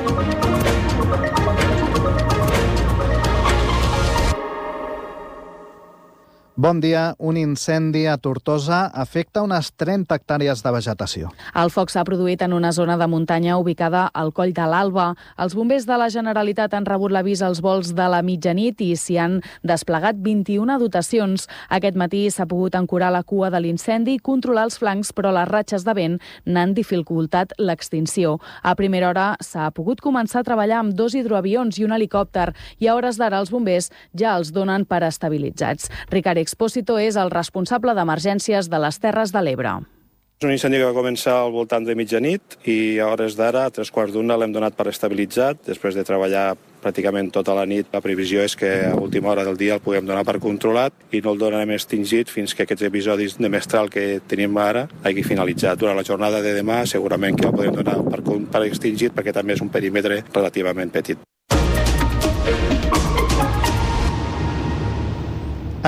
Bon dia. Un incendi a Tortosa afecta unes 30 hectàrees de vegetació. El foc s'ha produït en una zona de muntanya ubicada al Coll de l'Alba. Els bombers de la Generalitat han rebut l'avís als vols de la mitjanit i s'hi han desplegat 21 dotacions. Aquest matí s'ha pogut ancorar la cua de l'incendi i controlar els flancs, però les ratxes de vent n'han dificultat l'extinció. A primera hora s'ha pogut començar a treballar amb 2 hidroavions i un helicòpter i a hores d'ara els bombers ja els donen per estabilitzats. Ricard Expósito és el responsable d'emergències de les Terres de l'Ebre. És un incendi que va començar al voltant de mitjanit i a hores d'ara, a 3:15, l'hem donat per estabilitzat. Després de treballar pràcticament tota la nit, la previsió és que a última hora del dia el puguem donar per controlat i no el donarem extingit fins que aquests episodis de mestral que tenim ara hagi finalitzat. Durant la jornada de demà segurament que el podem donar per extingit perquè també és un perímetre relativament petit.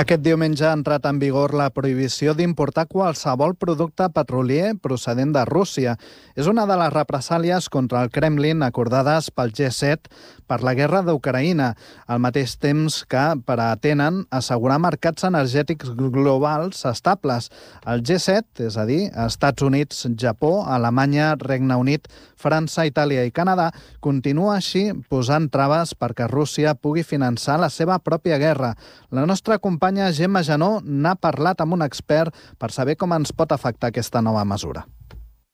Aquest diumenge ha entrat en vigor la prohibició d'importar qualsevol producte petrolier procedent de Rússia. És una de les represàlies contra el Kremlin acordades pel G7 per la guerra d'Ucraïna, al mateix temps que pretenen assegurar mercats energètics globals estables. El G7, és a dir, Estats Units, Japó, Alemanya, Regne Unit, França, Itàlia i Canadà, continua així posant traves perquè Rússia pugui finançar la seva pròpia guerra. La nostra companya Gemma Janó n'ha parlat amb un expert per saber com ens pot afectar aquesta nova mesura.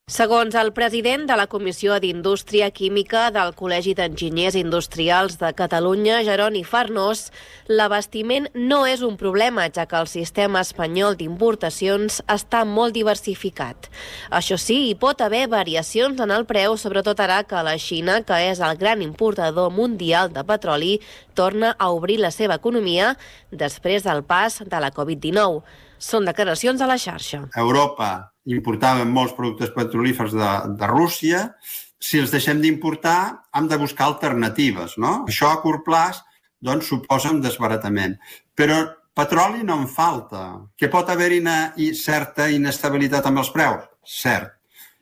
Segons el president de la Comissió d'Indústria Química del Col·legi d'Enginyers Industrials de Catalunya, Jeroni Farnós, l'abastiment no és un problema, ja que el sistema espanyol d'importacions està molt diversificat. Això sí, hi pot haver variacions en el preu, sobretot ara que la Xina, que és el gran importador mundial de petroli, torna a obrir la seva economia després del pas de la Covid-19. Són declaracions a la xarxa. Europa importàvem molts productes petrolífers de Rússia. Si els deixem d'importar, hem de buscar alternatives, no? Això a curt plaç doncs, suposa un desbaratament. Però petroli no en falta. Que pot haver-hi certa inestabilitat amb els preus? Cert.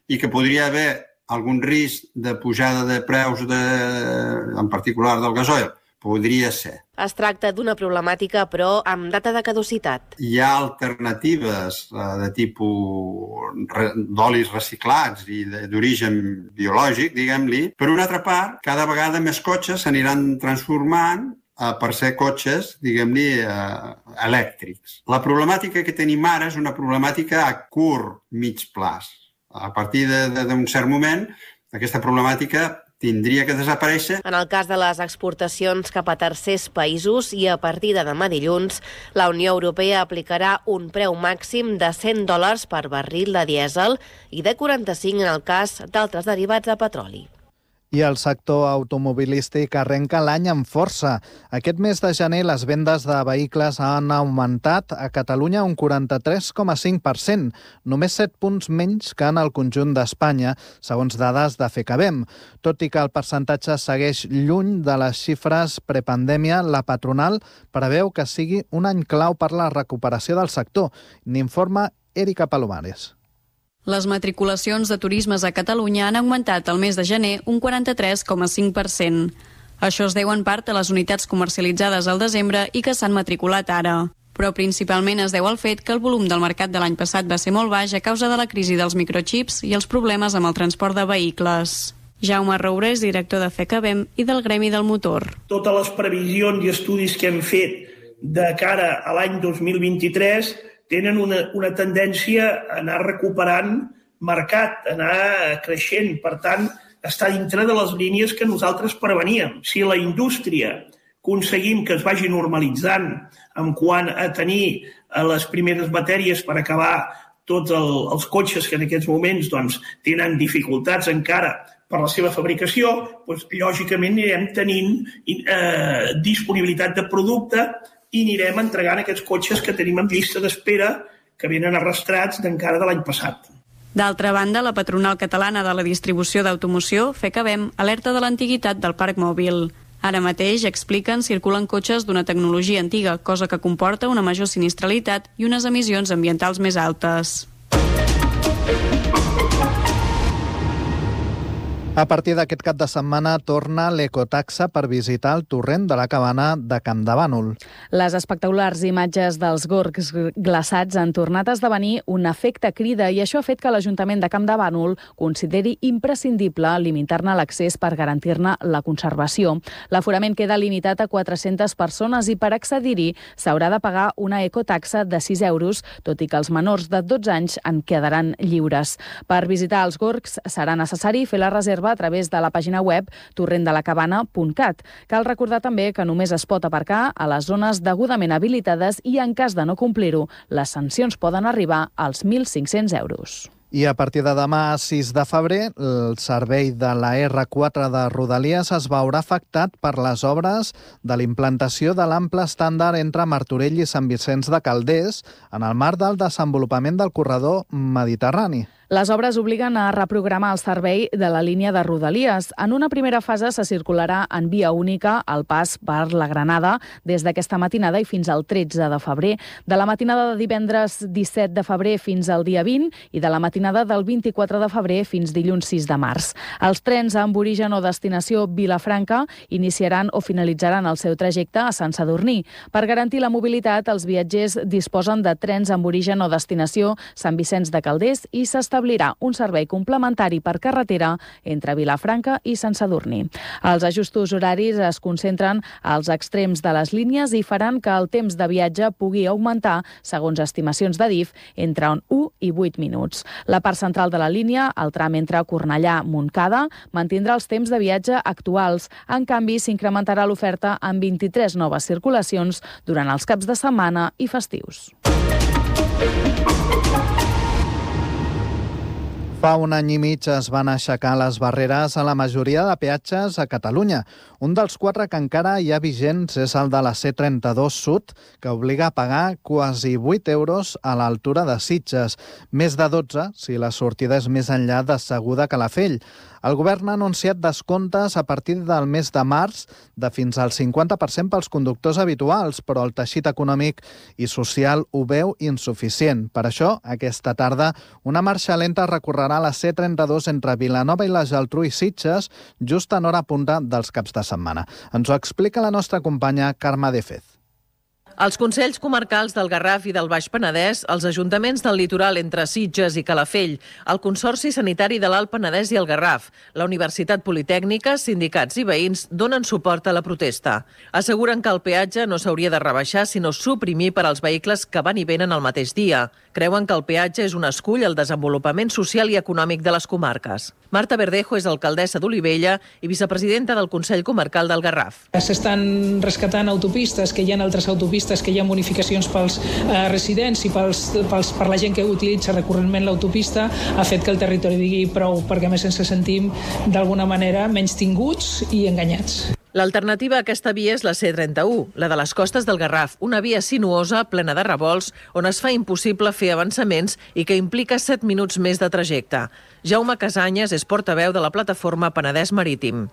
I que podria haver algun risc de pujada de preus, en particular del gasoil? Podria ser. Es tracta d'una problemàtica, però amb data de caducitat. Hi ha alternatives de tipus d'olis reciclats i d'origen biològic, diguem-li. Per una altra part, cada vegada més cotxes s'aniran transformant per ser cotxes, diguem-li, elèctrics. La problemàtica que tenim ara és una problemàtica a curt, mig plaç. A partir d'un cert moment, aquesta problemàtica tindria que desaparèixer. En el cas de les exportacions cap a tercers països i a partir de demà dilluns, la Unió Europea aplicarà un preu màxim de $100 per barril de dièsel i de 45 en el cas d'altres derivats de petroli. I el sector automobilístic arrenca l'any amb força. Aquest mes de gener les vendes de vehicles han augmentat a Catalunya un 43,5%, només 7 punts menys que en el conjunt d'Espanya, segons dades de FECABEM. Tot i que el percentatge segueix lluny de les xifres prepandèmia, la patronal preveu que sigui un any clau per la recuperació del sector. N'informa Erika Palomares. Les matriculacions de turismes a Catalunya han augmentat el mes de gener un 43,5%. Això es deu en part a les unitats comercialitzades al desembre i que s'han matriculat ara. Però principalment es deu al fet que el volum del mercat de l'any passat va ser molt baix a causa de la crisi dels microchips i els problemes amb el transport de vehicles. Jaume Roure és director de FECABEM i del Gremi del Motor. Totes les previsions i estudis que hem fet de cara a l'any 2023 tenen una tendència a anar recuperant mercat, a anar creixent. Per tant, està dintre de les línies que nosaltres preveníem. Si la indústria aconseguim que es vagi normalitzant en quant a tenir les primeres matèries per acabar tots els cotxes que en aquests moments tenen dificultats encara per la seva fabricació, lògicament anirem tenint disponibilitat de producte i anirem entregant aquests cotxes que tenim en llista d'espera que venen arrastrats d'encara de l'any passat. D'altra banda, la patronal catalana de la distribució d'automoció, FECABEM, alerta de l'antiguitat del parc mòbil. Ara mateix, expliquen, circulen cotxes d'una tecnologia antiga, cosa que comporta una major sinistralitat i unes emissions ambientals més altes. A partir d'aquest cap de setmana torna l'ecotaxa per visitar el torrent de la Cabana de Campdevànol. Les espectaculars imatges dels gorgs glaçats han tornat a esdevenir un efecte crida i això ha fet que l'Ajuntament de Campdevànol consideri imprescindible limitar-ne l'accés per garantir-ne la conservació. L'aforament queda limitat a 400 persones i per accedir-hi s'haurà de pagar una ecotaxa de 6 euros, tot i que els menors de 12 anys en quedaran lliures. Per visitar els gorgs serà necessari fer la reserva a través de la pàgina web torrentdelacabana.cat. Cal recordar també que només es pot aparcar a les zones degudament habilitades i en cas de no complir-ho, les sancions poden arribar als 1.500 euros. I a partir de demà, 6 de febrer, el servei de la R4 de Rodalies es veurà afectat per les obres de l'implantació de l'ample estàndard entre Martorell i Sant Vicenç de Calders en el marc del desenvolupament del corredor mediterrani. Les obres obliguen a reprogramar el servei de la línia de Rodalies. En una primera fase se circularà en via única el pas per la Granada des d'aquesta matinada i fins al 13 de febrer. De la matinada de divendres 17 de febrer fins al dia 20 i de la matinada del 24 de febrer fins dilluns 6 de març. Els trens amb origen o destinació Vilafranca iniciaran o finalitzaran el seu trajecte a Sant Sadurní. Per garantir la mobilitat, els viatgers disposen de trens amb origen o destinació Sant Vicenç de Calders i s'establirà un servei complementari per carretera entre Vilafranca i Sant Sadurní. Els ajustos horaris es concentren als extrems de les línies i faran que el temps de viatge pugui augmentar, segons estimacions de DIF, entre 1 i 8 minuts. La part central de la línia, el tram entre Cornellà-Montcada, mantindrà els temps de viatge actuals. En canvi, s'incrementarà l'oferta amb 23 noves circulacions durant els caps de setmana i festius. Fa un any i mig es van aixecar les barreres a la majoria de peatges a Catalunya. Un dels 4 que encara hi ha vigents és el de la C32 Sud, que obliga a pagar quasi 8 euros a l'altura de Sitges, més de 12 si la sortida és més enllà de Seguda Calafell. El govern ha anunciat descomptes a partir del mes de març de fins al 50% pels conductors habituals, però el teixit econòmic i social ho veu insuficient. Per això, aquesta tarda, una marxa lenta recorrerà la C32 entre Vilanova i la Geltrú i Sitges, just en hora punta dels caps de setmana. Ens ho explica la nostra companya Carme de Fez. Els Consells Comarcals del Garraf i del Baix Penedès, els ajuntaments del litoral entre Sitges i Calafell, el Consorci Sanitari de l'Alt Penedès i el Garraf, la Universitat Politècnica, sindicats i veïns donen suport a la protesta. Asseguren que el peatge no s'hauria de rebaixar, sinó suprimir per als vehicles que van i venen el mateix dia. Creuen que el peatge és un escull al desenvolupament social i econòmic de les comarques. Marta Verdejo és alcaldessa d'Olivella i vicepresidenta del Consell Comarcal del Garraf. S'estan rescatant autopistes, que hi ha altres autopistes, que hi ha bonificacions pels residents i per la gent que utilitza recurrentment l'autopista, ha fet que el territori digui prou, perquè a més ens sentim d'alguna manera menys tinguts i enganyats. L'alternativa a aquesta via és la C31, la de les costes del Garraf, una via sinuosa, plena de revolts, on es fa impossible fer avançaments i que implica 7 minuts més de trajecte. Jaume Casanyes és portaveu de la plataforma Penedès Marítim.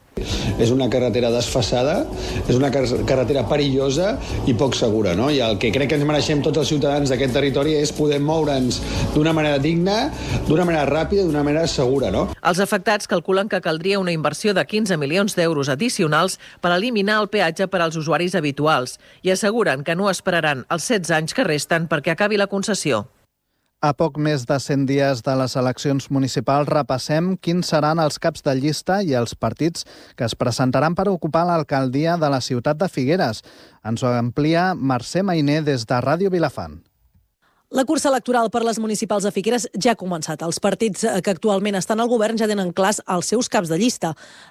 És una carretera desfasada, és una carretera perillosa i poc segura, no? I el que crec que ens mereixem tots els ciutadans d'aquest territori és poder moure'ns d'una manera digna, d'una manera ràpida i d'una manera segura, no? Els afectats calculen que caldria una inversió de 15 milions d'euros addicionals per eliminar el peatge per als usuaris habituals i asseguren que no esperaran els 16 anys que resten perquè acabi la concessió. A poc més de 100 dies de les eleccions municipals repassem quins seran els caps de llista i els partits que es presentaran per ocupar l'alcaldia de la ciutat de Figueres. Ens ho amplia Mercè Mainer des de Ràdio Vilafant. La cursa electoral per les municipals de Figueres ja ha començat. Els partits que actualment estan al govern ja tenen clars els seus caps de llista.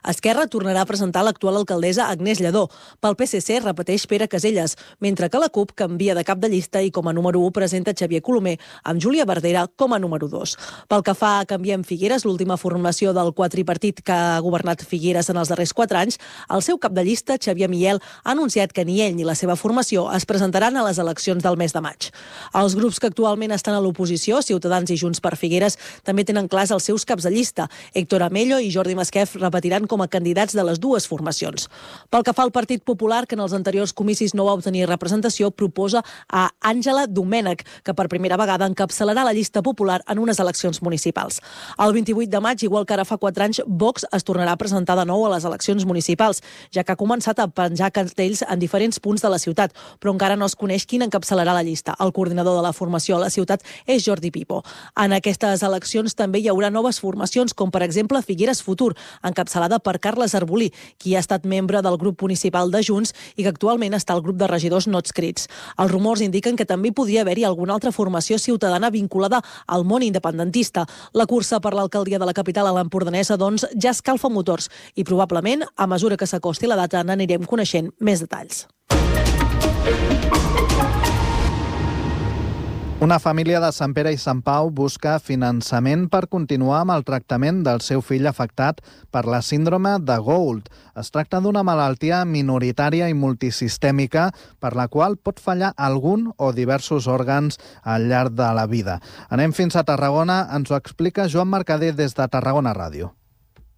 Esquerra tornarà a presentar l'actual alcaldessa Agnès Lledó. Pel PSC repeteix Pere Caselles, mentre que la CUP canvia de cap de llista i com a número 1 presenta Xavier Colomer, amb Júlia Verdera com a número 2. Pel que fa a Canviem Figueres, l'última formació del quadripartit que ha governat Figueres en els darrers 4 anys, el seu cap de llista, Xavier Miel, ha anunciat que ni ell ni la seva formació es presentaran a les eleccions del mes de maig. Els grups que actualment estan a l'oposició, Ciutadans i Junts per Figueres, també tenen clars els seus caps de llista. Héctor Amello i Jordi Masquef repetiran com a candidats de les dues formacions. Pel que fa al Partit Popular, que en els anteriors comicis no va obtenir representació, proposa a Àngela Domènech, que per primera vegada encapçalarà la llista popular en unes eleccions municipals. El 28 de maig, igual que ara fa 4 anys, Vox es tornarà a presentar de nou a les eleccions municipals, ja que ha començat a penjar cartells en diferents punts de la ciutat, però encara no es coneix quin encapçalarà la llista. El coordinador de la formació a la ciutat és Jordi Pipo. En aquestes eleccions també hi haurà noves formacions, com per exemple Figueres Futur, encapçalada per Carles Arbolí, qui ha estat membre del grup municipal de Junts i que actualment està al grup de regidors no adscrits. Els rumors indiquen que també podria haver-hi alguna altra formació ciutadana vinculada al món independentista. La cursa per l'alcaldia de la capital a l'Empordanesa, doncs, ja escalfa motors i probablement, a mesura que s'acosti la data, n'anirem coneixent més detalls. Una família de Sant Pere i Sant Pau busca finançament per continuar amb el tractament del seu fill afectat per la síndrome de Gould. Es tracta d'una malaltia minoritària i multisistèmica per la qual pot fallar algun o diversos òrgans al llarg de la vida. Anem fins a Tarragona, ens ho explica Joan Mercader des de Tarragona Ràdio.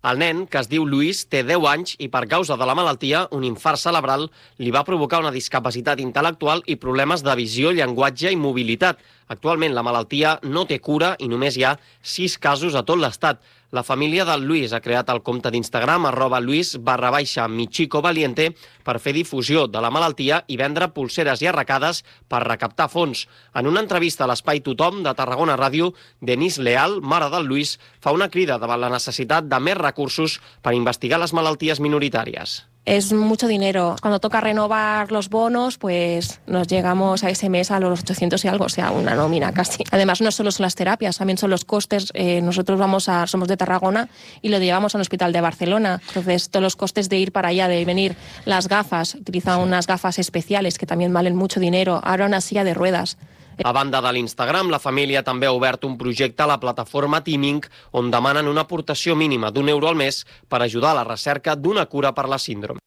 El nen, que es diu Lluís, té 10 anys i per causa de la malaltia, un infart cerebral li va provocar una discapacitat intel·lectual i problemes de visió, llenguatge i mobilitat. Actualment la malaltia no té cura i només hi ha 6 casos a tot l'Estat. La família del Lluís ha creat el compte d'Instagram @Luis_Michicovaliente per fer difusió de la malaltia i vendre pulseres i arracades per recaptar fons. En una entrevista a l'Espai Tothom de Tarragona Ràdio, Denise Leal, mare del Lluís, fa una crida davant la necessitat de més recursos per investigar les malalties minoritàries. Es mucho dinero. Cuando toca renovar los bonos, pues nos llegamos a ese mes a los 800 y algo, o sea, una nómina casi. Además, no solo son las terapias, también son los costes. Nosotros somos de Tarragona y lo llevamos al hospital de Barcelona. Entonces, todos los costes de ir para allá, de venir, las gafas, utilizan unas gafas especiales que también valen mucho dinero. Ahora una silla de ruedas. A banda de l'Instagram, la família també ha obert un projecte a la plataforma Teaming on demanen una aportació mínima d'€1 al mes per ajudar a la recerca d'una cura per la síndrome.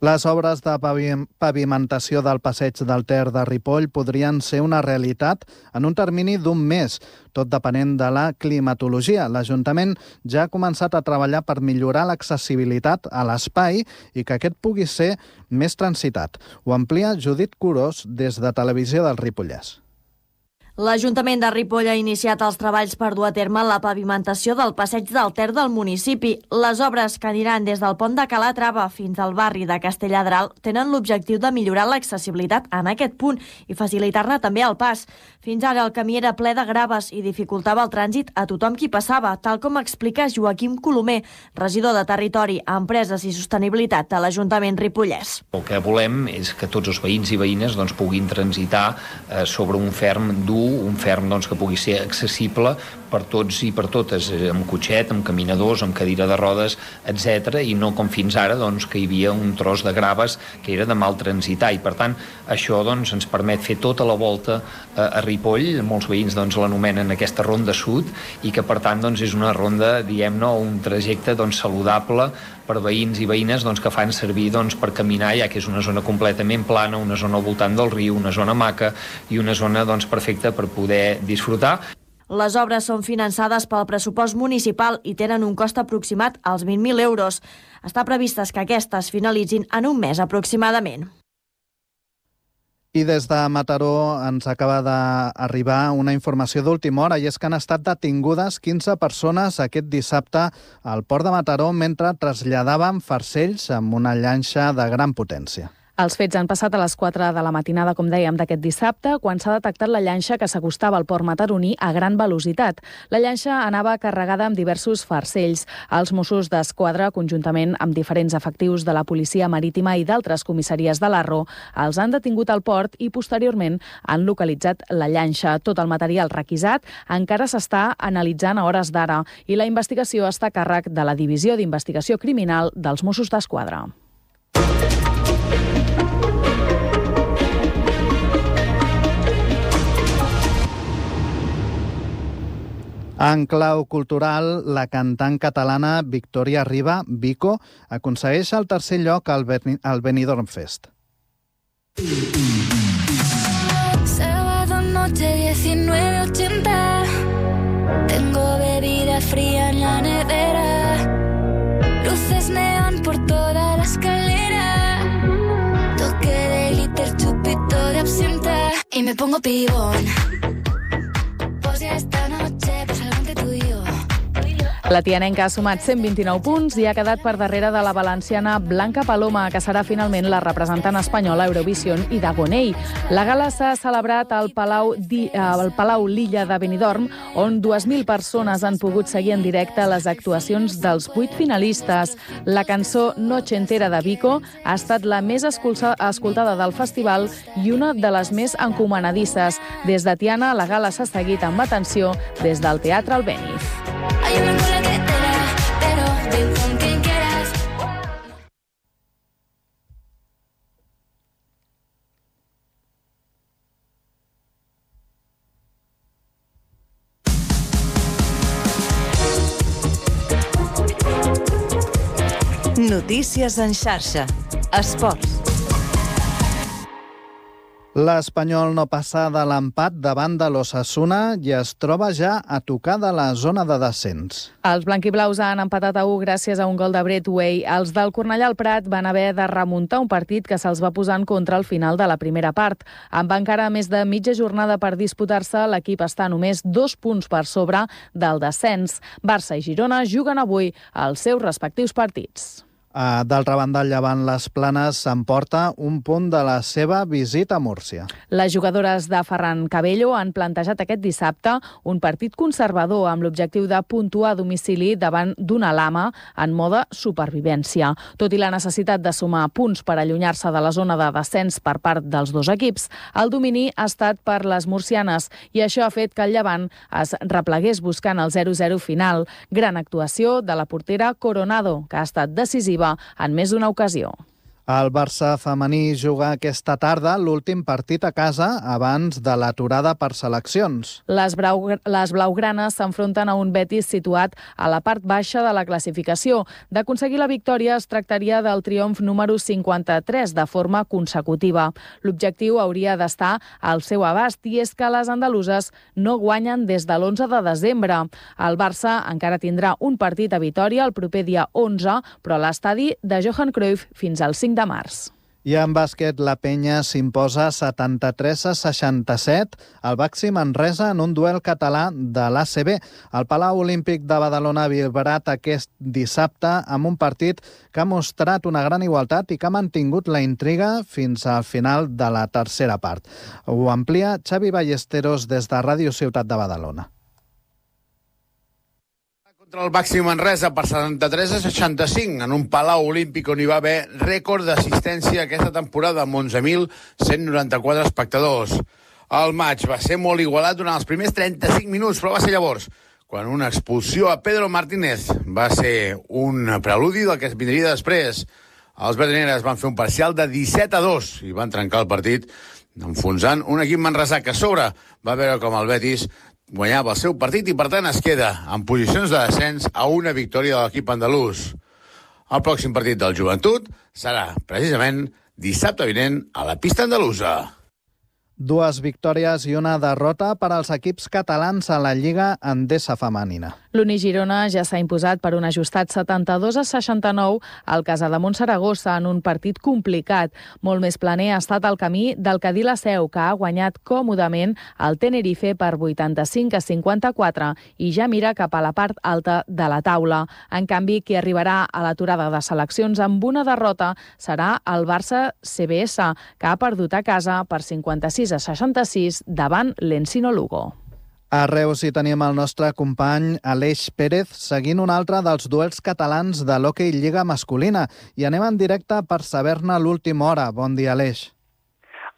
Les obres de pavimentació del passeig del Ter de Ripoll podrien ser una realitat en un termini d'1 mes, tot depenent de la climatologia. L'Ajuntament ja ha començat a treballar per millorar l'accessibilitat a l'espai i que aquest pugui ser més transitat. Ho amplia Judit Curós des de Televisió del Ripollès. L'Ajuntament de Ripoll ha iniciat els treballs per dur a terme la pavimentació del passeig del Ter del municipi. Les obres que aniran des del pont de Calatrava fins al barri de Castelladral tenen l'objectiu de millorar l'accessibilitat en aquest punt i facilitar-ne també el pas. Fins ara el camí era ple de graves i dificultava el trànsit a tothom qui passava, tal com explica Joaquim Colomer, regidor de Territori, Empreses i Sostenibilitat de l'Ajuntament ripollès. El que volem és que tots els veïns i veïnes puguin transitar sobre un ferm dur, un ferm que pugui ser accessible per tots i per totes, amb cotxet, amb caminadors, amb cadira de rodes, etc. I no com fins ara, que hi havia un tros de graves que era de mal transitar. I per tant, això ens permet fer tota la volta a Ripoll. Molts veïns l'anomenen aquesta ronda sud i que per tant és una ronda, diguem-ne, un trajecte saludable per veïns i veïnes que fan servir per caminar, ja que és una zona completament plana, una zona al voltant del riu, una zona maca i una zona perfecta per poder disfrutar. Les obres són finançades pel pressupost municipal i tenen un cost aproximat als 20.000 euros. Està previstes que aquestes finalitzin en un mes aproximadament. I des de Mataró ens acaba d'arribar una informació d'última hora i és que han estat detingudes 15 persones aquest dissabte al port de Mataró mentre traslladaven farcells amb una llanxa de gran potència. Els fets han passat a les 4 de la matinada, com dèiem, d'aquest dissabte, quan s'ha detectat la llanxa que s'acostava al port mataroní a gran velocitat. La llanxa anava carregada amb diversos farcells. Els Mossos d'Esquadra, conjuntament amb diferents efectius de la Policia Marítima i d'altres comissaries de l'Arro, els han detingut al port i posteriorment han localitzat la llanxa. Tot el material requisat encara s'està analitzant a hores d'ara i la investigació està a càrrec de la Divisió d'Investigació Criminal dels Mossos d'Esquadra. En clau cultural, la cantant catalana Victoria Riba, Vico, aconsegueix el tercer lloc al Benidorm Fest. Sábado noche me pongo pibón. Pues ya esta noche, pues algo entre tú y yo. La tianenca ha sumat 129 punts i ha quedat per darrere de la valenciana Blanca Paloma, que serà finalment la representant espanyola a Eurovision i d'Agonei. La gala s'ha celebrat al Palau L'Illa de Benidorm, on 2.000 persones han pogut seguir en directe les actuacions dels 8 finalistes. La cançó Noche Entera de Vico ha estat la més escoltada del festival i una de les més encomanadisses. Des de Tiana, la gala s'ha seguit amb atenció des del Teatre Albéniz. Hay una cola que te da, pero ven con quien quieras. Notícies en xarxa. Esports. L'Espanyol no passa de l'empat davant de l'Osasuna i es troba ja a tocar de la zona de descens. Els blanquiblaus han empatat a 1 gràcies a un gol de Brett Way. Els del Cornellà al Prat van haver de remuntar un partit que se'ls va posar en contra al final de la primera part. Amb encara més de mitja jornada per disputar-se, l'equip està només 2 punts per sobre del descens. Barça i Girona juguen avui els seus respectius partits. D'altra banda, el Llevant Les Planes s'emporta un punt de la seva visita a Múrcia. Les jugadores de Ferran Cabello han plantejat aquest dissabte un partit conservador amb l'objectiu de puntuar a domicili davant d'una Lama en mode supervivència. Tot i la necessitat de sumar punts per allunyar-se de la zona de descens per part dels dos equips, el domini ha estat per les murcianes i això ha fet que el Llevant es replegués buscant el 0-0 final. Gran actuació de la portera Coronado, que ha estat decisiva en més d'una ocasió. El Barça femení juga aquesta tarda l'últim partit a casa abans de l'aturada per seleccions. Les blaugranes s'enfronten a un Betis situat a la part baixa de la classificació. D'aconseguir la victòria es tractaria del triomf número 53 de forma consecutiva. L'objectiu hauria d'estar al seu abast i és que les andaluses no guanyen des de l'11 de desembre. El Barça encara tindrà un partit a Vitòria el proper dia 11, però a l'estadi de Johan Cruyff fins al 5 de març. I en bàsquet, la Penya s'imposa 73-67 al Baxi Manresa en un duel català de l'ACB. El Palau Olímpic de Badalona ha vibrat aquest dissabte amb un partit que ha mostrat una gran igualtat i que ha mantingut la intriga fins al final de la tercera part. Ho amplia Xavi Ballesteros des de Ràdio Ciutat de Badalona. Contra el Baxi Manresa per 73-65 en un Palau Olímpic on hi va haver rècord d'assistència aquesta temporada amb 11.194 espectadors. El maig va ser molt igualat durant els primers 35 minuts, però va ser llavors quan una expulsió a Pedro Martínez va ser un preludi del que es vindria després. Els verdineres van fer un parcial de 17-2 i van trencar el partit enfonsant un equip manresà que a sobre va veure com el Betis guanyava el seu partit i, per tant, es queda en posicions de descens a una victòria de l'equip andalús. El pròxim partit del Joventut serà, precisament, dissabte vinent a la pista andalusa. 2 victòries i una derrota per als equips catalans a la Lliga Endesa femenina. L'Uni Girona ja s'ha imposat per un ajustat 72-69 al Casademont Saragossa en un partit complicat. Molt més planer ha estat el camí del Cadí la Seu, que ha guanyat còmodament el Tenerife per 85-54 i ja mira cap a la part alta de la taula. En canvi, qui arribarà a l'aturada de seleccions amb una derrota serà el Barça CBS, que ha perdut a casa per 56-66 davant l'Encino Lugo. A Reus hi tenim el nostre company Aleix Pérez seguint un altre dels duels catalans de l'Hockey Lliga masculina i anem en directe per saber-ne l'última hora. Bon dia, Aleix.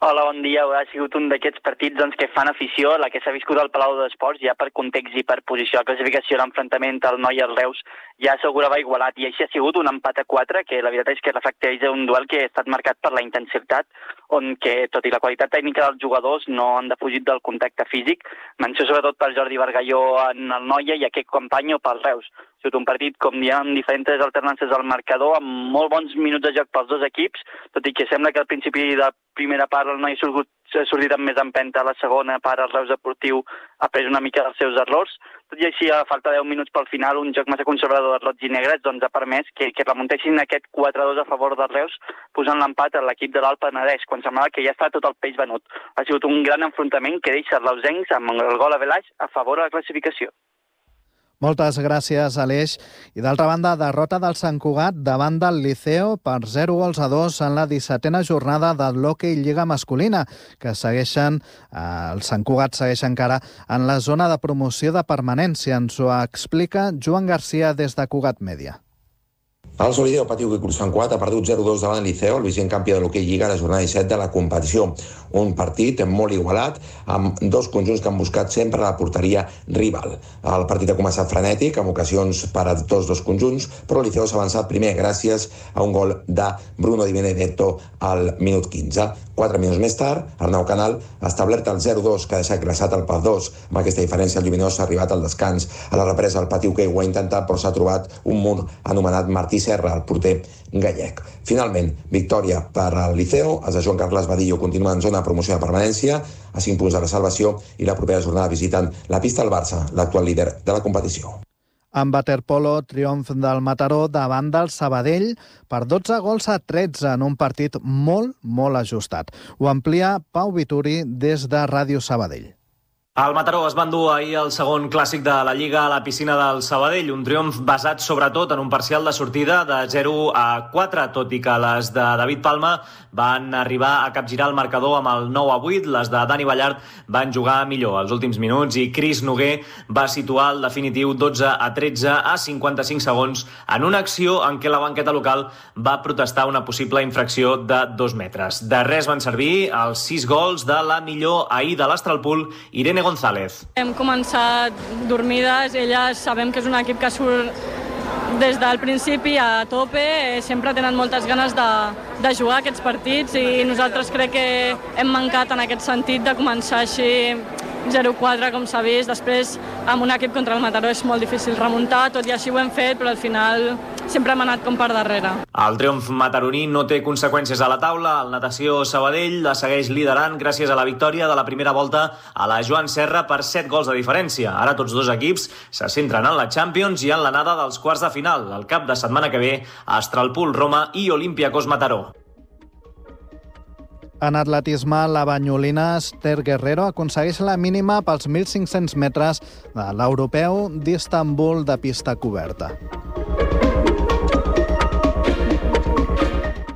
Hola, bon dia. Ha sigut un d'aquests partits que fan afició, la que s'ha viscut al Palau d'Esports, ja per context i per posició de classificació, l'enfrontament al Noi i al Reus ja assegurava igualat, i així ha sigut un empat a 4, que la veritat és que reflecteix un duel que ha estat marcat per la intensitat, on que, tot i la qualitat tècnica dels jugadors, no han defugit del contacte físic. Menció sobretot per Jordi Bargalló en el Noia i aquest Companyo pel Reus. Ha sigut un partit, com diem, amb diferents alternances al marcador, amb molt bons minuts de joc pels dos equips, tot i que sembla que al principi de primera part el Noi ha sortit amb més empenta a la segona part. El Reus Deportiu ha pres una mica dels seus errors. Tot i així, a falta de 10 minuts pel final, un joc massa conservador de roig i negres ha permès que remuntessin aquest 4-2 a favor del Reus, posant l'empat a l'equip de l'Alt Penedès, quan semblava que ja està tot el peix venut. Ha sigut un gran enfrontament que deixa els reusencs amb el gol a Velaix a favor de la classificació. Moltes gràcies, Aleix. I d'altra banda, derrota del Sant Cugat davant del Liceo per 0-2 en la 17a jornada de l'Hockey Lliga Masculina, que segueixen, el Sant Cugat segueix encara en la zona de promoció de permanència. Ens ho explica Joan Garcia des de Cugat Mèdia. El Solideo Patiu que Sant Cugat ha perdut 0-2 davant el Liceo, el vigent campió de l'Hockey Lliga a la jornada 17 de la competició. Un partit molt igualat, amb dos conjunts que han buscat sempre la porteria rival. El partit ha començat frenètic, amb ocasions per a tots dos conjunts, però el Liceo s'ha avançat primer gràcies a un gol de Bruno Di Benedetto al minut 15. 4 minuts més tard, Arnau Canal ha establert el 0-2, que ha deixat glaçat el PAF 2. Amb aquesta diferència, el Lluminós ha arribat al descans. A la represa, el Patiu que ho ha intentat, però s'ha trobat un mur anomenat Martí Serra, el porter gallec. Finalment, victòria per al Liceo. Els de Joan Carles Badillo continuen en zona de promoció de permanència, a 5 punts de la salvació, i la propera jornada visiten la pista del Barça, l'actual líder de la competició. En waterpolo, triomf del Mataró davant del Sabadell per 12-13 en un partit molt ajustat. Ho amplia Pau Vituri des de Ràdio Sabadell. El Mataró es va endur ahir el segon clàssic de la Lliga a la piscina del Sabadell, un triomf basat sobretot en un parcial de sortida de 0-4, tot i que les de David Palma van arribar a capgirar el marcador amb el 9-8, les de Dani Ballart van jugar millor els últims minuts i Cris Noguer va situar el definitiu 12-13 a 55 segons en una acció en què la banqueta local va protestar una possible infracció de 2 metres. De res van servir els 6 gols de la millor ahir de l'Astralpool, Irene González. Hem començat dormides, elles sabem que és un equip que surt des del principi a tope, sempre tenen moltes ganes de jugar aquests partits i nosaltres crec que hem mancat en aquest sentit de començar així 0-4, com s'ha vist. Després, amb un equip contra el Mataró és molt difícil remuntar, tot i així ho hem fet, però al final sempre hem anat com per darrere. El triomf mataroní no té conseqüències a la taula. El Natació Sabadell la segueix liderant gràcies a la victòria de la primera volta a la Joan Serra per 7 gols de diferència. Ara tots dos equips se centren en la Champions i en l'anada dels quarts de final. El cap de setmana que ve, Astralpool Roma i Olympiacos Mataró. En atletisme, la banyolina Esther Guerrero aconsegueix la mínima pels 1.500 metres de l'europeu d'Istanbul de pista coberta.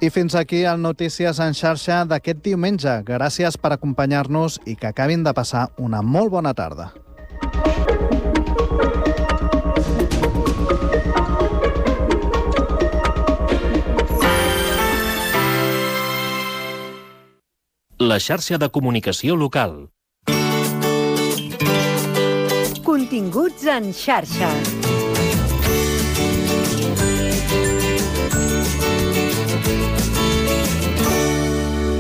I fins aquí el Notícies en xarxa d'aquest diumenge. Gràcies per acompanyar-nos i que acabin de passar una molt bona tarda. La xarxa de comunicació local. Continguts en xarxa.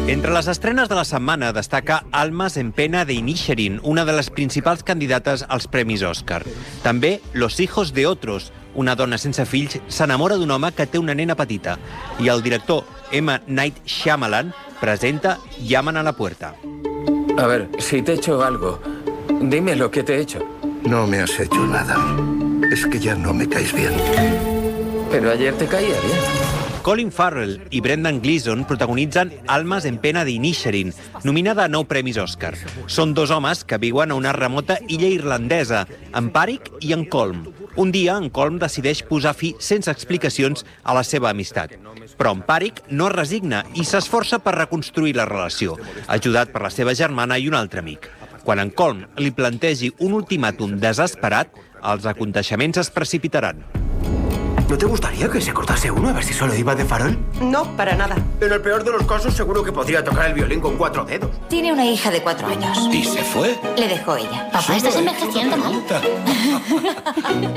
Entre les estrenes de la setmana destaca Almas en pena de Inisherin, una de les principals candidates als Premis Òscar. També Los hijos de otros, una dona sense fills s'enamora d'un home que té una nena petita. I el director M. Night Shyamalan presenta Llaman a la puerta. A ver, si te he hecho algo, dime lo que te he hecho. No me has hecho nada. Es que ya no me caes bien. Pero ayer te caía bien. Colin Farrell i Brendan Gleeson protagonitzen Almas en pena de Inisherin, nominada a 9 Premis Òscar. Són dos homes que viuen a una remota illa irlandesa, en Páric i en Colm. Un dia, en Colm decideix posar fi sense explicacions a la seva amistat. Però en Páric no es resigna i s'esforça per reconstruir la relació, ajudat per la seva germana i un altre amic. Quan en Colm li plantegi un ultimàtum desesperat, els aconteixements es precipitaran. ¿No te gustaría que se cortase uno a ver si solo iba de farol? No, para nada. En el peor de los casos, seguro que podría tocar el violín con 4 dedos. Tiene una hija de 4 años. ¿Y se fue? Le dejó ella. Papá, estás envejeciendo mal.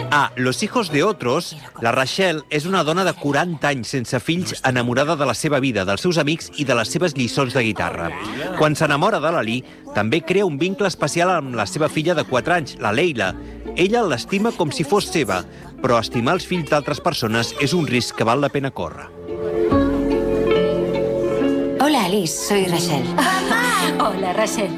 A Los hijos de otros, la Rachel és una dona de 40 anys sense fills enamorada de la seva vida, dels seus amics i de les seves lliçons de guitarra. Quan s'enamora de l'Ali, també crea un vincle especial amb la seva filla de 4 anys, la Leila. Ella l'estima com si fos seva, però estimar els fills d'altres persones és un risc que val la pena córrer. Hola, Alice, soy Rachel. ¡Mamá! Hola. Hola, Rachel.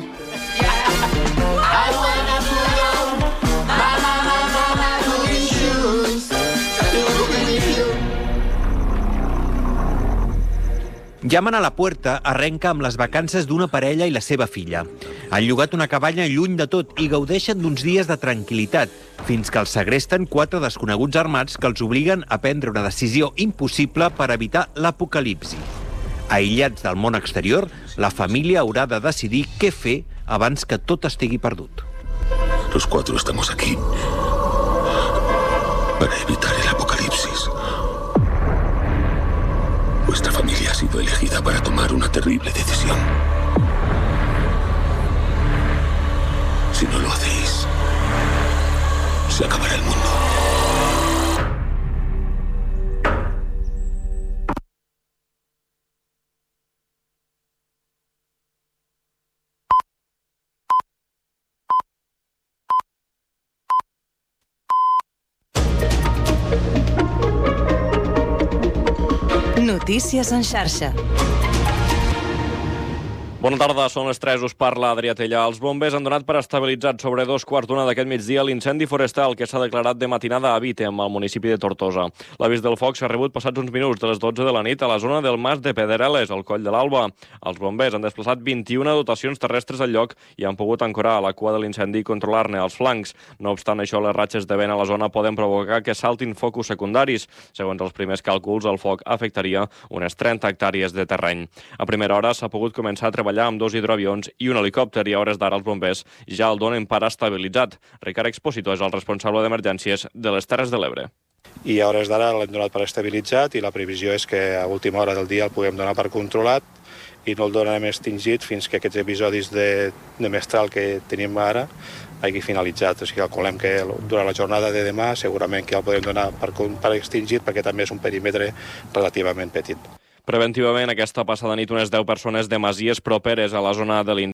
Llamen a la Puerta arrenca amb les vacances d'una parella i la seva filla. Han llogat una cabanya lluny de tot i gaudeixen d'uns dies de tranquil·litat, fins que els segresten 4 desconeguts armats que els obliguen a prendre una decisió impossible per evitar l'apocalipsi. Aïllats del món exterior, la família haurà de decidir què fer abans que tot estigui perdut. Los 4 estamos aquí para evitar el apocalipsis. Vuestra familia ha sido elegida para tomar una terrible decisión. Si no lo hacéis, se acabará el mundo. Notícies en xarxa. Bona tarda, són les 3, us parla Adrià Tellà. Els bombers han donat per estabilitzat sobre 2:15 d'aquest migdia l'incendi forestal que s'ha declarat de matinada a Vítem, al municipi de Tortosa. L'avís del foc s'ha rebut passats uns minuts de les 12 de la nit a la zona del Mas de Pedreres, al Coll de l'Alba. Els bombers han desplaçat 21 dotacions terrestres al lloc i han pogut ancorar a la cua de l'incendi i controlar-ne els flancs. No obstant això, les ratxes de vent a la zona poden provocar que saltin focus secundaris. Segons els primers càlculs, el foc afectaria unes 30 hectàrees de terreny. A primera hora s'ha pogut començar a treballar amb 2 hidroavions i un helicòpter i a hores d'ara els bombers ja el donen per estabilitzat. Ricard Exposito és el responsable d'emergències de les Terres de l'Ebre. I a hores d'ara l'hem donat per estabilitzat i la previsió és que a última hora del dia el puguem donar per controlat i no el donarem extingit fins que aquests episodis de mestral que tenim ara hagi finalitzat. O sigui, calculem que durant la jornada de demà segurament que el podem donar per extingit perquè també és un perímetre relativament petit. Preventivament, aquesta passada nit, unes 10 persones de masies properes a la zona de